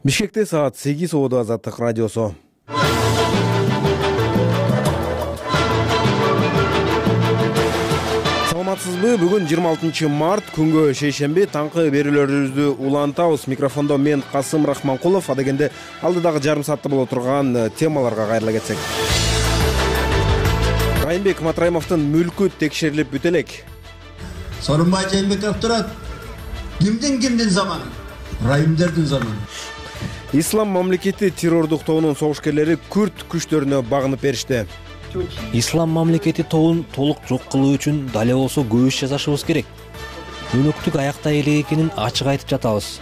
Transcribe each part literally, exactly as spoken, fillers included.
Бишкекте саат сегиз Ободо Азаттык радиосу. Саламатсызбы? Бүгүн жыйырма алтынчы март күнгө шейшемби таңкы берүүлөрүбүздү улантабыз. Микрофондо мен Касым Рахманкулов. Адегенде алдыдагы жарым саатта боло турган темаларга кайрыла кетсек. Райымбек Матраимовдун мүлкү текшерилип бүтө элек. Сооронбай Жээнбеков турат. Кимдин кимдин заманы? Райымдердин заманы. Ислам мамлекети террордук тобунун согушкерлери күрд күчтөрүнө багынып беришти. Ислам мамлекети тобун толук жок кылуу үчүн дале болсо көп иш жасашыбыз керек. Өнөктүк аякта элек экенин ачык айтып жатабыз.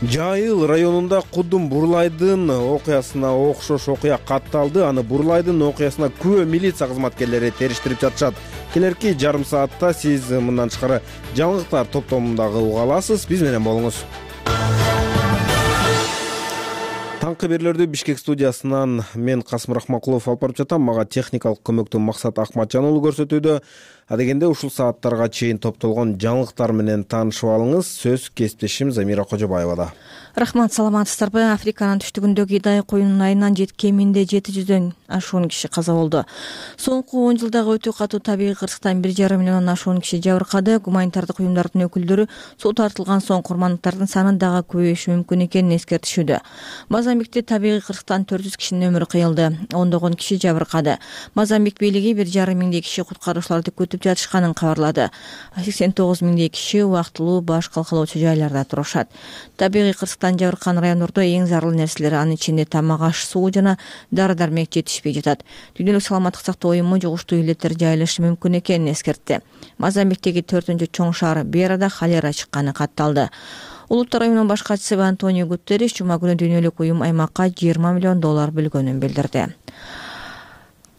Жайыл районунда Кудум Бурлайдын окуясына окшош окуя катталды. Аны Бурлайдын окуясына күбө милиция кызматкерлери териштирип жатышат. Келерки жарым саатта сиз мындан тышкары жаңылыктар топтомундагы уга аласыз. Биз менен болуңуз. Таңкы берүүлөрдү Бишкек студиясынан мен Касым Рахманкулов алып барып жатам. Мага техникалык көмөктү Максат Акматжан уулу көрсөтүүдө. Адегенде ушул сааттарга чейин топтолгон жаңылыктар менен таанышып алыңыз. Сөз кесиптешим Замира Кожобаевада. Рахмат, саламатсыздарбы? Африканын түштүгүндөгү Идай коюнунун айынан кеминде жети жүздөн ашуун киши каза болду. Соңку он жылдагы өтө катуу табигый кырсыктан бир жарым миллиондон ашуун киши жабыркады. Гуманитардык уюмдардын өкүлдөрү суу тартылган соң курмандыктардын саны дагы көбөйүшү мүмкүн экенин эскертишүүдө. Мозамбикте табигый кырсыктан төрт жүз кишинин өмүрү кыйылды. Ондогон киши жабыркады. Мозамбик бийлиги бир жарым миңдей киши куткаруучуларды күтүп жатышканын кабарлады. сексен тогуз миңдей киши убактылуу баш калкалоочу жайларда турушат. Табигый кырсыктан жабыркан райондордо эң зарыл нерселер, анын ичинде тамак аш, суу жана дары-дармек жетишпей жатат. Дүйнөлүк саламаттык сактоо уюму жугуштуу илеттер жайылышы мүмкүн экенин эскертти. Мозамбиктеги төртүнчү чоң шаар Берада холера чыкканы катталды. Улуттар уюмунун баш катчысы Антонио Гутерриш жума күнү дүйнөлүк уюм аймакка жыйырма миллион доллар бөлгөнүн билдирди.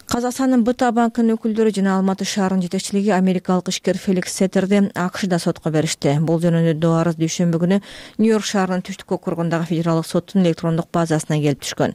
Казакстандын БТА банкынын өкүлдөрү жана Алматы шаарынын жетекчилиги америкалык ишкер Феликс Сеттерди АКШда сотко беришти. Бул жөнүндө доо арыз дүйшөмбү күнү Нью-Йорк шаарынын түштүк округундагы федералдык соттун электрондук базасына келип түшкөн.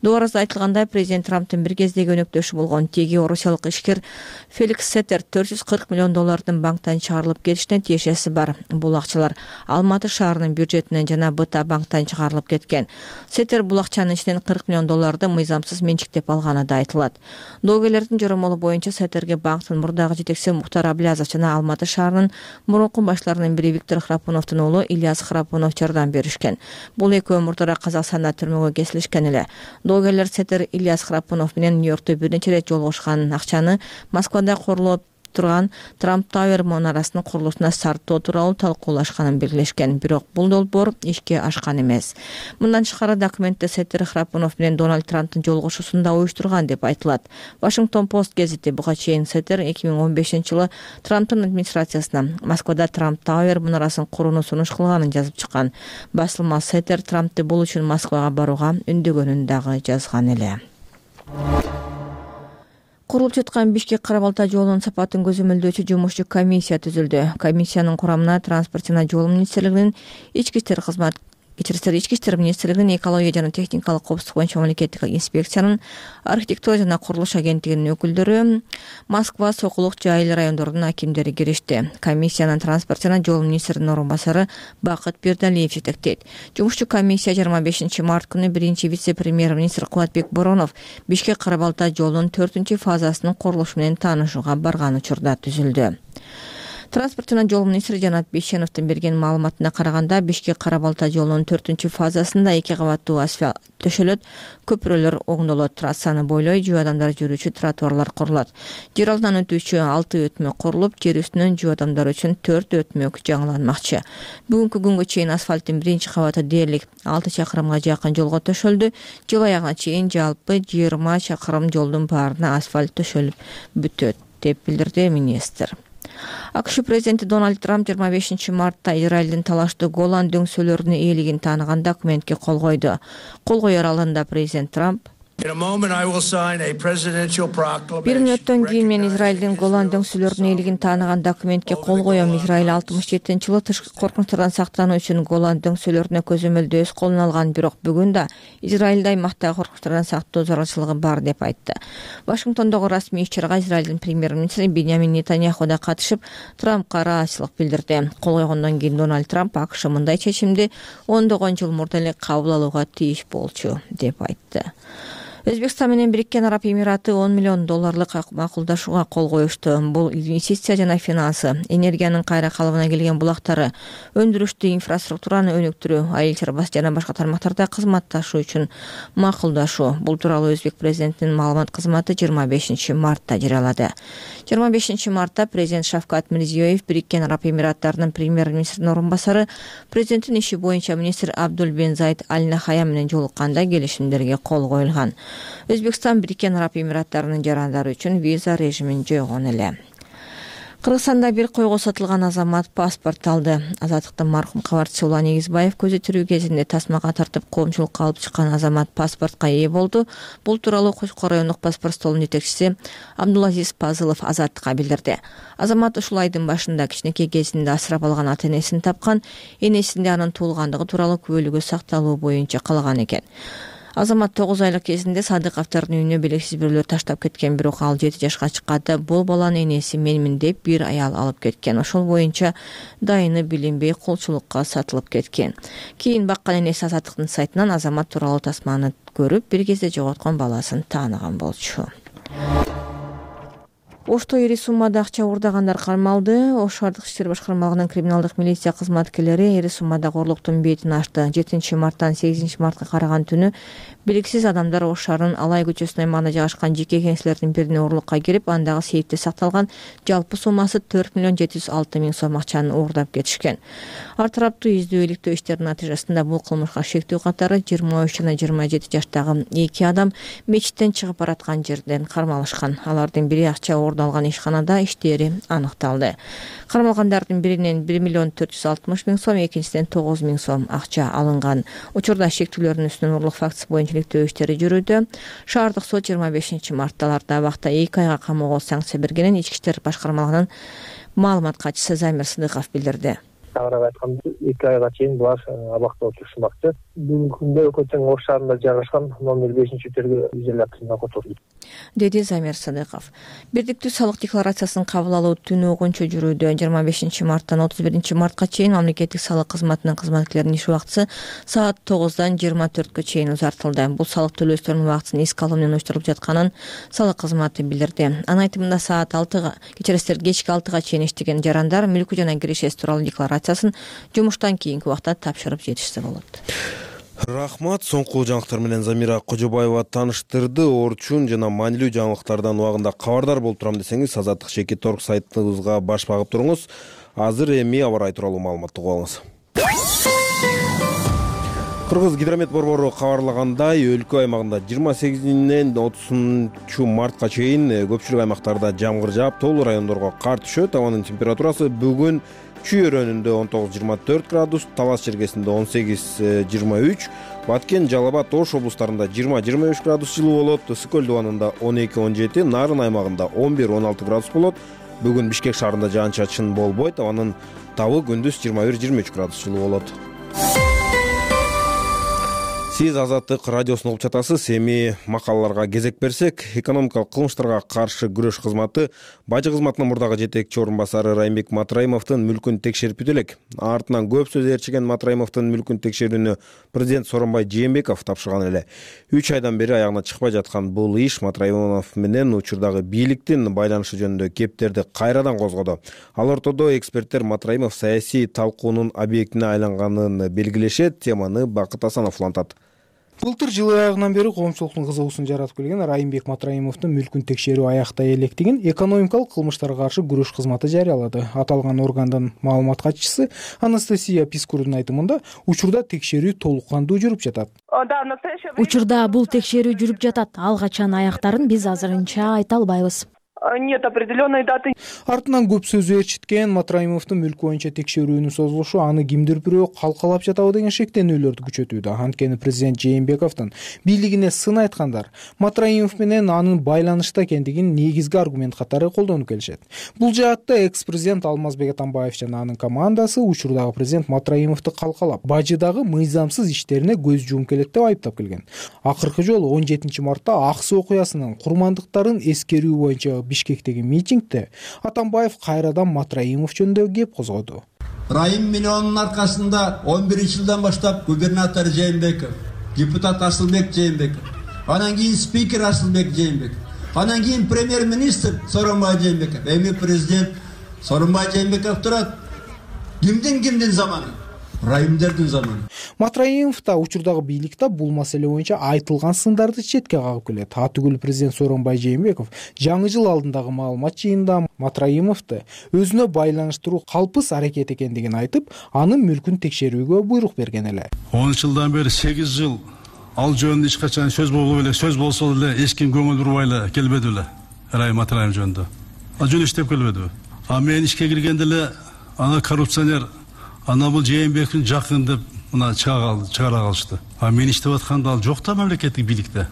Доо арызда айтылгандай, президент Трамптын бир кездеги өнөктөшү болгон теги орусиялык ишкер Феликс Сеттер төрт жүз кырк миллион доллардын банктан чыгарылып кетишине тиешеси бар. Бул акчалар Алматы шаарынын бюджетинен жана БТА банктан чыгарылып кеткен. Сеттер бул акчанын ичинен кырк миллион долларды мыйзамсыз менчиктеп алганы да айтылат. Доогерлердин жоромолу боюнча Сеттерге банктын мурдагы жетекчиси Мухтар Аблязов жана Алматы шаарынын мурунку башларынын бири Виктор Храпуновдун уулу Ильяс Храпунов жардам беришкен. Бул экөө мурдара Казакстанда түрмөгө кесилишкен эле. Доогерлер Сеттер Ильяс Храпунов менен Нью-Йоркто бир нече ирет жолугушкан, акчаны Москвада курулуп турган Трамп Тауэр мунарасынын курулушуна сарптоо тууралуу талкуулашканын белгилешкен. Бирок бул долбоор ишке ашкан эмес. Мындан тышкары документте Сеттер Храпунов менен Дональд Трамптын жолугушуусун да уюштурган деп айтылат. Вашингтон Пост гезити буга чейин Сеттер эки миң он бешинчи жылы Трамптын администрациясына Москвада Трамп Тауэр мунарасын курууну сунуш кылганын жазып чыккан. Басылма Сеттер Трамптты бул үчүн Москвага барууга үндөгөнүн дагы жазган эле. Курулуп жаткан Бишкек-Кара Балта жолунун сапатын көзөмөлдөөчү жумушчу комиссия түзүлдү. Комиссиянын курамына Транспорт жана жол министрлигинин ички иштер кызмат Ички иштер министрлигинин экология жана техникалык коопсуздук боюнча мамлекеттик инспекциянын, архитектура жана курулуш агенттигинин өкүлдөрү, Москва, Сокулук, Жайыл райондорунун акимдери киришти. Комиссиянын транспорт жана жол министринин орун басары Бакыт Бердалиев жетектейт. Жумушчу комиссия жыйырма бешинчи март күнү биринчи вице-премьер-министр Кубатбек Боронов Бишкек-Кара Балта жолунун төртүнчү фазасынын курулушу менен таанышууга барган учурда түзүлдү. Транспорт жана жол министри Жанат Бейшеновдун берген маалыматына караганда, Бишкек-Кара Балта жолунун төртүнчү фазасында эки кабаттуу асфальт төшөлөт, көпүрөлөр оңдолот, трассаны бойлой жөө адамдар жүрүүчү тротуарлар курулат. Жер алдынан өтүүчү алты өтмө курулуп, жер үстүнөн жөө адамдар үчүн төрт өтмөк жаңыланмакчы. Бүгүнкү күнгө чейин асфальттын биринчи кабаты дээрлик алты чакырымга жакын жолго төшөлдү. Жыл аягына чейин жалпы жыйырма чакырым жолдун баарына асфальт төшөлүп бүтөт, деп билдирди министр. АКШ президенти Дональд Трамп жыйырма бешинчи мартта Израилдин талаштуу Голан дөңсөлөрүнүн ээлигин тааныган документке кол койду. Кол коёр алдында президент Трамп In a moment, I will sign a presidential proclamation. Бир мүнөттөн кийин мен Израилдин Голан дөңсөлөрүнүн ээлигин тааныган документке кол коем. Израиль алтымыш жетинчи жылы тышкы коркунучтардан сактануу үчүн Голан дөңсөлөрүнө көзөмөлдү өз колуна алган, бирок бүгүн да Израилде аймактагы коркунучтардан сактоо зарылчылыгы бар деп айтты. Вашингтондогу расмий иш-чарага Израилдин премьер-министри Биньямин Нетаньяху да катышып, Трампка ыраазычылык билдирди. Кол койгондон кийин Дональд Трамп АКШ мындай чечимди ондогон жыл мурда эле кабыл алууга тийиш болчу деп айтты. Өзбекстан менен Бириккен Араб Эмираты он миллион долларлык макулдашууга кол коюшту. Бул инвестиция жана финансы, энергиянын кайра калыбына келген булактары, өндүрүштү инфраструктураны өнүктүрүү, айыл чарбасы жана башка тармактарда кызматташуу үчүн макулдашуу. Бул тууралуу Өзбек президентинин маалымат кызматы жыйырма бешинчи мартта жарыялады. жыйырма бешинчи мартта президент Шавкат Мирзиёев Бириккен Араб Эмираттарынын премьер-министринин орун басары, президенттин иши боюнча министр Абдул бен Заид Аль Нахаян менен жолукканда келишимдерге кол коюлган. Өзбекстан Бириккен Араб Эмираттарынын жарандары үчүн виза режимин жойгон эле. Кыргызстанда бир койго сатылган азамат паспорт алды. Азаттыктын маркум кабарчысы Улан Эгизбаев көзү тирүү кезинде тасмага тартып коомчулукка алып чыккан азамат паспортко ээ болду. Бул тууралуу Кочкор райондук паспорт столунун жетекчиси Абдулазиз Пазылов Азаттыкка билдирди. Азамат ушул айдын башында кичинекей кезинде асырап алган ата-энесин тапкан, энесинде анын туулгандыгы тууралуу күбөлүгү сакталуу боюнча калган экен. Азамат тогуз айлык кезинде Садыковдордун үйүнө белгисиз бирөөлөр таштап кеткен, бирок ал жети жашка чыкканда бул баланын энеси менмин деп бир аял алып кеткен. Ошол боюнча дайыны билинбей кулчулукка сатылып кеткен. Кийин баккан энеси Азаттыктын сайтынан азамат тууралуу тасманы көрүп, бир кезде жоготкон баласын тааныган болчу. Ошто ири суммада акча уурдагандар кармалды. Ош шаардык иштер башкармалыгынын криминалдык милиция кызматкерлери ири суммадагы урлуктун бетин ачты. жетинчи марттан сегизинчи мартка караган түнү белгисиз адамдар Ош шаарынын Алай көчөсүнүн аймагында жайгашкан жеке кеңселердин бирине урлукка кирип, андагы сейфте сакталган жалпы суммасы төрт миллион жети жүз алты миң сом акчаны уурдап кетишкен. Ар тараптуу издөө иликтөө иштеринин натыйжасында бул кылмышка шектүү катары жыйырма үч жана жыйырма жети жаштагы эки адам мечиттен чыгып бараткан жерден кармалышкан. Алардын бири акча уурдалган ишканада иштери аныкталды. Кармалгандардын биринен бир миллион төрт жүз алтымыш миң сом, экинчисинен тогуз миң сом акча алынган. Учурда шектүүлөрдүн үстүнөн урлук фактысы боюнча иликтөө иштери жүрүүдө. Шаардык сот жыйырма бешинчи мартта аларда абакта эки айга камоого санкция бергенин Ички иштер башкармалыгынын маалымат катчысы Замир Сыдыков билдирди. Тагыраак айтканда эки айга чейин булар абакта отурушмакчы. Бүгүнкү күндө Өкөтөн Ош шаарында жайгашкан номер бешинчи тергөө изоляторуна которду, деди Замир Сыдыков. Бирдиктүү салык декларациясын кабыл алуу түнү огунчу жүрүүдө. жыйырма бешинчи марттан отуз биринчи мартка чейин мамлекеттик салык кызматынын кызматкерлеринин иш убактысы саат тогуздан жыйырма төрткө чейин узартылды. Бул салык төлөөчүлөрдүн убактысын эске алуу менен уюштурулуп жатканын салык кызматы билдирди. Анын айтымында саат алтыга, кечиресиздер кечки алтыга чейин иштеген жарандар мүлкү жана киреше тууралуу декларациясын жумуштан кийинки убакта тапшырып жетишсе болот. Рахмат. Соңку жаңылыктар менен Замира Кожобаева тааныштырды. Орчун жана маанилүү жаңылыктардан убагында кабардар болуп турам десеңиз, Азаттык Чекит Торг сайтыбызга баш багып туруңуз. Азыр эми аба ырайы тууралуу маалыматты угуп алыңыз. Кыргыз гидромет борбору кабарлагандай, өлкө аймагында жыйырма сегизинен отузунчу мартка чейин көпчүлүк аймактарда жамгыр жаап, тоолуу райондорго кар түшөт. Абанын температурасы бүгүн Чүй өрөөнүндө он тогуз жыйырма төрт градус, Талас чергесинде он сегиз жыйырма үч, Баткен, Жалал Абад, Ош облустарында жыйырма жыйырма үч градус жылуу болот, Ысык көл дубанында он эки он жети, Нарын аймагында он бир он алты градус болот. Бүгүн Бишкек шаарында жаан-чачын болбойт, абанын табы күндүз жыйырма бир жыйырма үч градус жылуу болот. Сиз Азаттык радиосун угуп жатасыз. Эми макалаларга кезек берсек, экономикалык кылмыштарга каршы күрөш кызматы бажы кызматынын мурдагы жетекчи орун басары Райымбек Матраимовдун мүлкүн текшерип элек. Артынан көп сөз ээрчиген Матраимовдун мүлкүн текшерүүнү президент Сооронбай Жээнбеков тапшырган эле. үч айдан бери аягына чыкпай жаткан бул иш Матраимов менен учурдагы бийликтин байланышы жөнүндө кептерди кайрадан козгоду. Ал ортодо эксперттер Матраимов саясий талкуунун объектине айланганын белгилешет. Теманы Бакыт Асанов улантат. Былтыр жыл аягынан бери коомчулуктун кызыгуусун жаратып келген Райымбек Матраимовдун мүлкүн текшерүү аяктай электигин экономикалык кылмыштарга каршы күрөш кызматы жарыялады. Аталган органдын маалымат катчысы Анастасия Пискурдун айтымында, учурда текшерүү толук кандуу жүрүп жатат. Учурда бул текшерүү жүрүп жатат. Ал качан аяктарын биз азырынча айта албайбыз. Нет определенной даты. Артынан көп сөз ээрчиткен Матраимовдун мүлк боюнча текшерүүнүн созулушу аны кимдир бирөө калкалап жатабы деген шектенүүлөрдү күчөтүүдө. Анткени президент Жээнбековдун бийлигине сын айткандар Матраимов менен анын байланышта экендигин негизги аргумент катары колдонуп келишет. Бул жаатта экс-президент Алмазбек Атамбаев жана анын командасы учурдагы президент Матраимовду калкалап, бажыдагы мыйзамсыз иштерине көз жумуп келет деп айыптап келген. Акыркы жолу он жетинчи мартта ак суу окуясынын курмандыктарын эскерүү боюнча Бишкектеги митингде Атамбаев кайрадан Матраимов жөнүндө кеп козгоду. Райым миллионунун аркасында он биринчи жылдан баштап губернатор Жээнбеков, депутат Асылбек Жээнбеков, анан кийин спикер Асылбек Жээнбеков, анан кийин премьер-министр Сооронбай Жээнбеков, эми президент Сооронбай Жээнбеков турат. Кимдин кимдин заманы? Райымдердин заманы. Матраимов да учурдагы бийликте бул маселе боюнча айтылган сындарды четке кагып келет. Атүгүл президент Сооронбай Жээнбеков жаңы жыл алдындагы маалымат жыйынында Матраимовду өзүнө байланыштыруу калпыс аракет экендигин айтып, анын мүлкүн текшерүүгө буйрук берген эле. он жылдан бери сегиз жыл ал жөнүндө эч качан сөз болбой эле, сөз болсо деле эч ким көңүл бурбай эле келбеди беле. Райым Матраимов жөнүндө. А жөн иштеп келбедиби? А мен ишке киргенде эле ана коррупционер, ана бул Жээнбековдун жакын деп мына чыгара калышты. А мен иштеп атканда ал жок да мамлекеттик бийликте.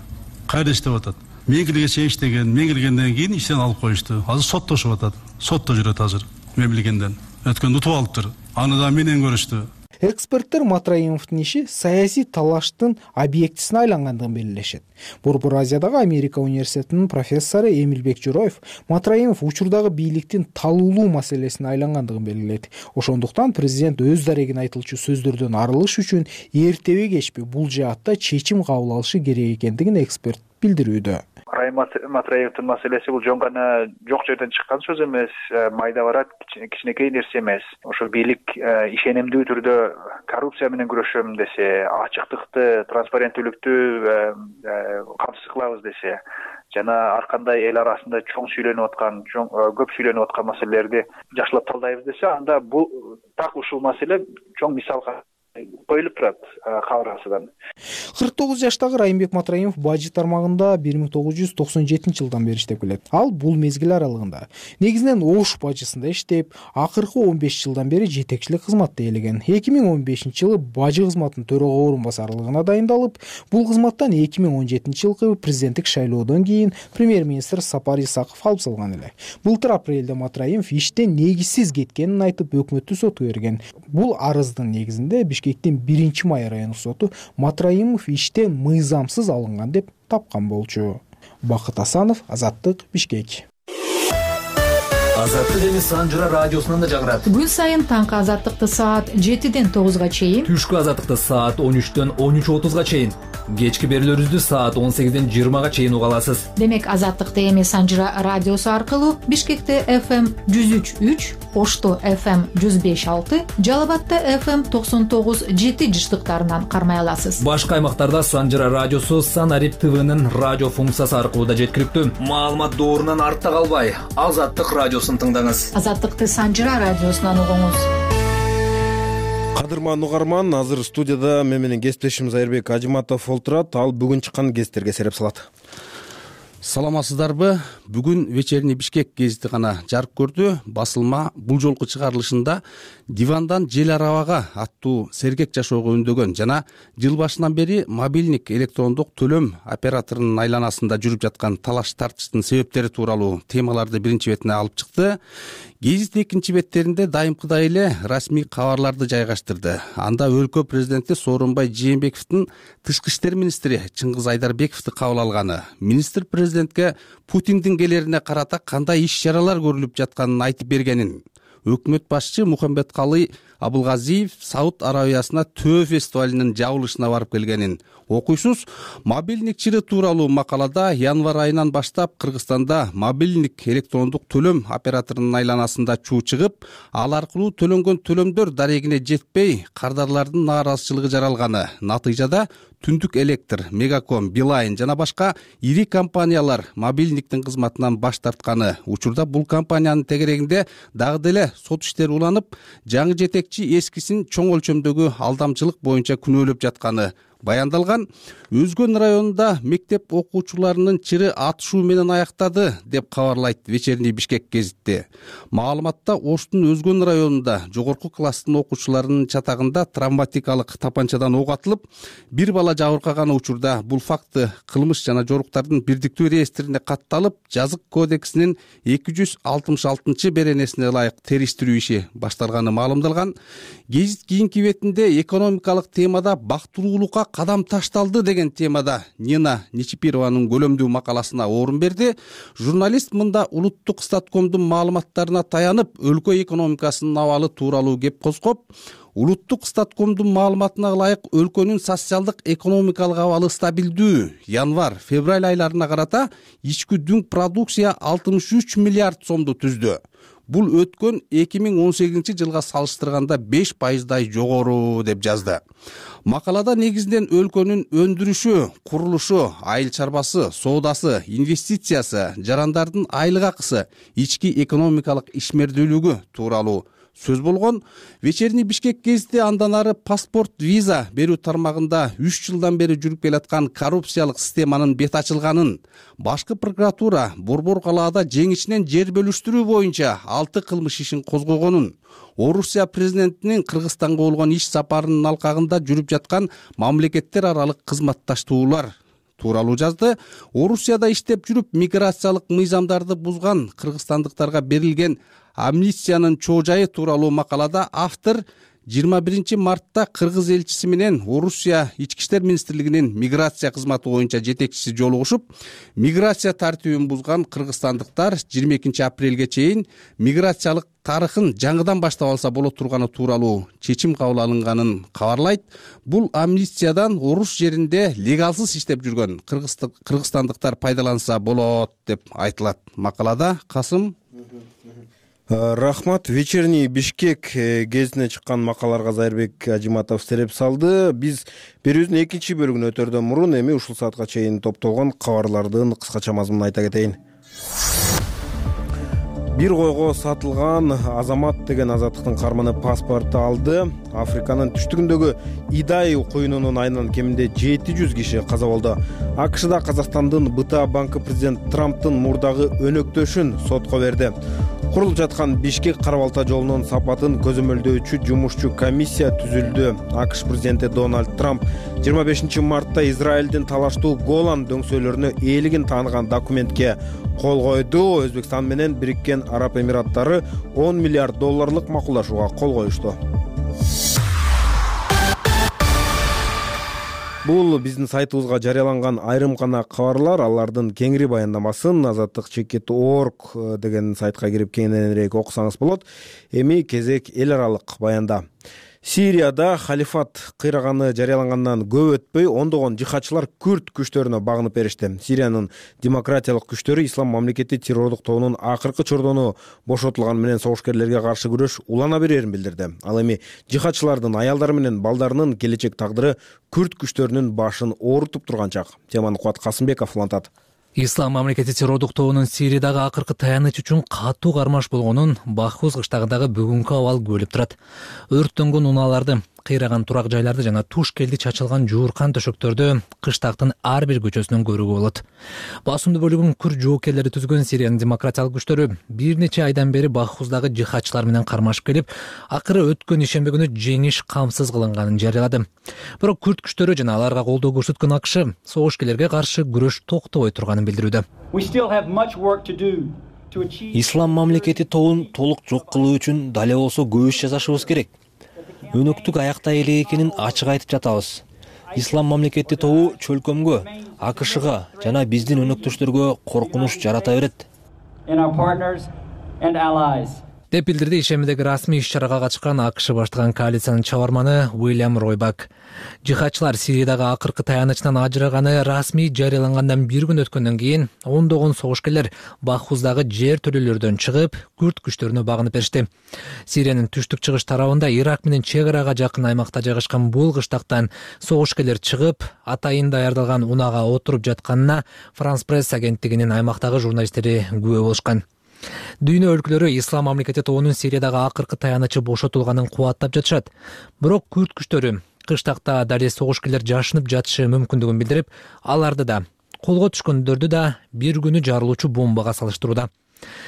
Кайда иштеп атат? Мен киргенче иштеген, мен киргенден кийин иштен алып коюшту. Азыр соттошуп атат. Сотто жүрөт азыр. Мен билгенден. Өткөндө утуп алыптыр. Аны да менен көрүштү. Эксперттер Матраимовдун иши саясий талаштын объектисине айлангандыгын белгилешет. Борбор Азиядагы Америка университетинин профессору Эмилбек Жороев Матраимов учурдагы бийликтин талуулуу маселесине айлангандыгын белгилейт. Ошондуктан президент өз дарегин айтылчу сөздөрдөн арылыш үчүн эртеби кечпи бул жаатта чечим кабыл алышы керек экендигин эксперт билдирүүдө. Райым Матраимовдун маселеси бул жөн гана жок жерден чыккан сөз эмес, майда барат, кичинекей нерсе эмес. Ошо бийлик ишенимдүү түрдө коррупция менен күрөшөм десе, ачыктыкты, транспаренттүүлүктү камсыз кылабыз десе, жана ар кандай эл арасында чоң сүйлөнүп аткан, көп сүйлөнүп аткан маселелерди жакшылап талдайбыз десе, анда бул так ушул маселе чоң мисалга коюлуп турат кабыргасынан. кырк тогуз жаштагы Райымбек Матраимов бажы тармагында бир миң тогуз жүз токсон жетинчи жылдан бери иштеп келет. Ал бул мезгил аралыгында негизинен Ош бажысында иштеп, акыркы он беш жылдан бери жетекчилик кызматты ээлеген. эки миң он бешинчи жылы бажы кызматынын төрага орун басарлыгына дайындалып, бул кызматтан эки миң он жетинчи жылкы президенттик шайлоодон кийин премьер-министр Сапар Исаков алып салган эле. Былтыр апрелде Матраимов иштен негизсиз кеткенин айтып, өкмөттү сотко берген. Бул арыздын негизинде Бишкектин биринчи май райондук соту Матраимов иштен мыйзамсыз алынган деп тапкан болчу. Бакыт Асанов, Азаттык, Бишкек. Азаттык эми Санжыра радиосунан да жагырат. Күн сайын таңкы Азаттыкты саат жетиден тогузга чейин, түшкү Азаттыкты саат он үчтөн он үч отузга чейин, кечки берүүлөрүбүздү саат он сегизден жыйырмага чейин уга аласыз. Демек Азаттыкты эми Санжыра радиосу аркылуу Бишкекте эф эм жүз үч үч, Ошто эф эм жүз беш алты, Жалал Абадта эф эм токсон тогуз жети жыштыктарынан кармай аласыз. Башка аймактарда Санжыра радиосу Санарип ТВнын радио функциясы аркылуу да жеткиликтүү. Маалымат доорунан артта калбай, Азаттык радиосун тыңдаңыз. Азаттыкты Санжыра радиосунан угуңуз. Кадырман угарман, азыр студияда мен менен кесиптешим Айырбек Ажыматов олтурат. Ал бүгүн чыккан гезиттерге сереп салат. Саламатсыздарбы? Бүгүн Вечерний Бишкек гезити гана жарык көрдү. Басылма бул жолку чыгарылышында дивандан жел арабага аттуу сергек жашоого үндөгөн жана жыл башынан бери мобилдик электрондук төлөм операторунун айланасында жүрүп жаткан талаш тартыштын себептери тууралуу темаларды биринчи бетине алып чыкты. Гезит экинчи беттеринде дайымкыдай эле расмий кабарларды жайгаштырды. Анда өлкө президенти Сооронбай Жээнбековдун тышкы иштер министри Чыңгыз Айдарбековду кабыл алганы, министр президентке Путиндин келерине карата кандай иш-чаралар көрүлүп жатканын айтып бергенин, өкмөт башчы Мухамбеткалый Абылгазиев Сауд Арабиясына Төө фестивалинин жабылышына барып келгенин окуйсуз. Мобилдик чыры тууралуу макалада январь айынан баштап Кыргызстанда мобилдик электрондук төлөм операторунун айланасында чуу чыгып, ал аркылуу төлөнгөн төлөмдөр дарегине жетпей, кардарлардын нааразычылыгы жаралганы. Натыйжада Түндүк Электр, Мегаком, Билайн жана башка ири компаниялар мобилдиктин кызматынан баш тартканы. Учурда бул компаниянын тегерегинде дагы деле сот иштери уланып, жаңы жетекчи эскисин чоң өлчөмдөгү алдамчылык боюнча күнөөлөп жатканы. баяндалган. Өзгөн районунда мектеп окуучуларынын чыры атышуу менен аяктады деп кабарлайт Вечерний Бишкек гезити. Маалыматта Оштун Өзгөн районунда жогорку класстын окуучуларынын чатагында травматикалык тапанчадан ок атылып, бир бала жабыркаган учурда бул факты кылмыш жана жоруктардын бирдиктүү реестрине катталып, жазык кодексинин эки жүз алтымыш алтынчы беренесине ылайык териштирүү иши башталганы маалымдалган. Гезит кийинки бетинде экономикалык темада бактылуулукка кадам ташталды деген темада Нина Нечипированын көлөмдүү макаласына орун берди. Журналист мында улуттук статкомдун маалыматтарына таянып, өлкө экономикасынын абалы тууралуу кеп козгоп, улуттук статкомдун маалыматына ылайык өлкөнүн социалдык экономикалык абалы стабилдүү. Январь-февраль айларына карата ички дүң продукция алтымыш үч миллиард сомду түздү. Бул өткөн эки миң он сегизинчи жылга салыштырганда беш пайыздай жогору деп жазды. Макалада негизинен өлкөнүн өндүрүшү, курулушу, айыл чарбасы, соодасы, инвестициясы, жарандардын айлык акысы, ички экономикалык ишмердүүлүгү тууралуу сөз болгон. Вечерний Бишкек гезити андан ары паспорт, виза берүү тармагында үч жылдан бери жүрүп келаткан коррупциялык системанын бет ачылганын, башкы прокуратура Борбор калаада жеңичинен жер бөлүштүрүү боюнча алты кылмыш ишин козгогонун, Орусия президентинин Кыргызстанга болгон иш сапарынын алкагында жүрүп жаткан мамлекеттер аралык кызматташтуулар тууралуу жазды. Орусияда иштеп жүрүп миграциялык мыйзамдарды бузган кыргызстандыктарга берилген амнистиянын чоо жайы тууралуу макалада автор жыйырма биринчи мартта кыргыз элчиси менен Орусия ички иштер министрлигинин миграция кызматы боюнча жетекчиси жолугушуп, миграция тартибин бузган кыргызстандыктар жыйырма экинчи апрелге чейин миграциялык тарыхын жаңыдан баштап алса болот турганы тууралуу чечим кабыл алынганын кабарлайт. Бул амнистиядан Орус жеринде легалсыз иштеп жүргөн кыргызстандыктар пайдаланса болот деп айтылат макалада. Касым. Рахмат. Вечерний Бишкек гезитине чыккан макалаларга Зайырбек Ажиматов сереп салды. Биз берүүбүздүн экинчи бөлүгүнө өтөрдөн мурун эми ушул саатка чейин топтолгон кабарлардын кыскача мазмунун айта кетейин. Бир койго сатылган Азамат деген азаттыктын карманы паспорту алды. Африканын түштүгүндөгү Идай коюнунун айынан кеминде жети жүз киши каза болду. АКШда Казакстандын БТА банкы президент Трамптын мурдагы өнөктөшүн сотко берди. Курулуп жаткан Бишкек кара балта жолунун сапатын көзөмөлдөөчү жумушчу комиссия түзүлдү. АКШ президенти Дональд Трамп жыйырма бешинчи мартта Израилдин талаштуу Голан дөңсөөлөрүнө ээлигин тааныган документке кол койду. Өзбекстан менен Бириккен Араб Эмираттары он миллиард долларлык макулдашууга кол коюшту. Бул биздин сайтыбызга жарыяланган айрым гана кабарлар. Алардын кеңири баяндамасын азаттык чекит орг деген сайтка кирип кеңирээк окусаңыз болот. Эми кезек эл аралык баянда. Сирияда халифат кыйраганы жарыялангандан көп өтпөй ондогон жихадчылар күрд күчтөрүнө багынып беришти. Сириянын демократиялык күчтөрү ислам мамлекети террордук тобунун акыркы чордону бошотулганы менен согушкерлерге каршы күрөш улана берерин билдирди. Ал эми жихадчылардын аялдары менен балдарынын келечек тагдыры күрд күчтөрүнүн башын оорутуп турган чак. Теманы Кубат Касымбеков улантат. Ислам мамлекети террордук тобунун Сириядагы акыркы таяныч үчүн катуу кармаш болгонун Бахус кыштагындагы бүгүнкү абал күбөлүп турат. Өрттөнгөн унааларды, кыйраган турак жайларды жана туш келди чачылган жууркан төшөктөрдү кыштактын ар бир көчөсүнөн көрүүгө болот. Басымдуу бөлүгүн күрд жоокерлери түзгөн Сириянын демократиялык күчтөрү бир нече айдан бери Бахуздагы жихадчылар менен кармашып келип, акыры өткөн ишемби күнү жеңиш камсыз кылынганын жарыялады. Бирок күрд күчтөрү жана аларга колдоо көрсөткөн АКШ согушкерлерге каршы күрөш токтобой турганын билдирүүдө. Ислам мамлекети тобун толук жок кылуу үчүн дале болсо көп иш жасашыбыз керек. Өнөктүк аякта эле экенин ачык айтып жатабыз. Ислам мамлекети тобу чөлкөмгө, АКШга жана биздин өнөктөштөргө коркунуч жарата берет деп билдирди ишемидеги расмий иш-чарага катышкан АКШ баштаган коалициянын чабарманы Уильям Ройбак. Жихадчылар Сириядагы акыркы таянычынан ажыраганы расмий жарыялангандан бир күн өткөндөн кийин ондогон согушкерлер Бахуздагы жер төлөлөрдөн чыгып, күрд күчтөрүнө багынып беришти. Сириянын түштүк-чыгыш тарабында Ирак менен чек арага жакын аймакта жайгашкан бул кыштактан согушкерлер чыгып, атайын даярдалган унага отуруп жатканына Франс пресс агенттигинин аймактагы журналисттери күбө болушкан. Дүйнө өлкөлөрү Ислам мамлекети тобунун Сириядагы акыркы таянычы бошотулганын кубаттап жатышат. Бирок күрд күчтөрү кыштакта дале согушкерлер жашынып жатышы мүмкүндүгүн билдирип, аларды да, колго түшкөндөрдү да бир күнү жарылуучу бомбага салыштырууда.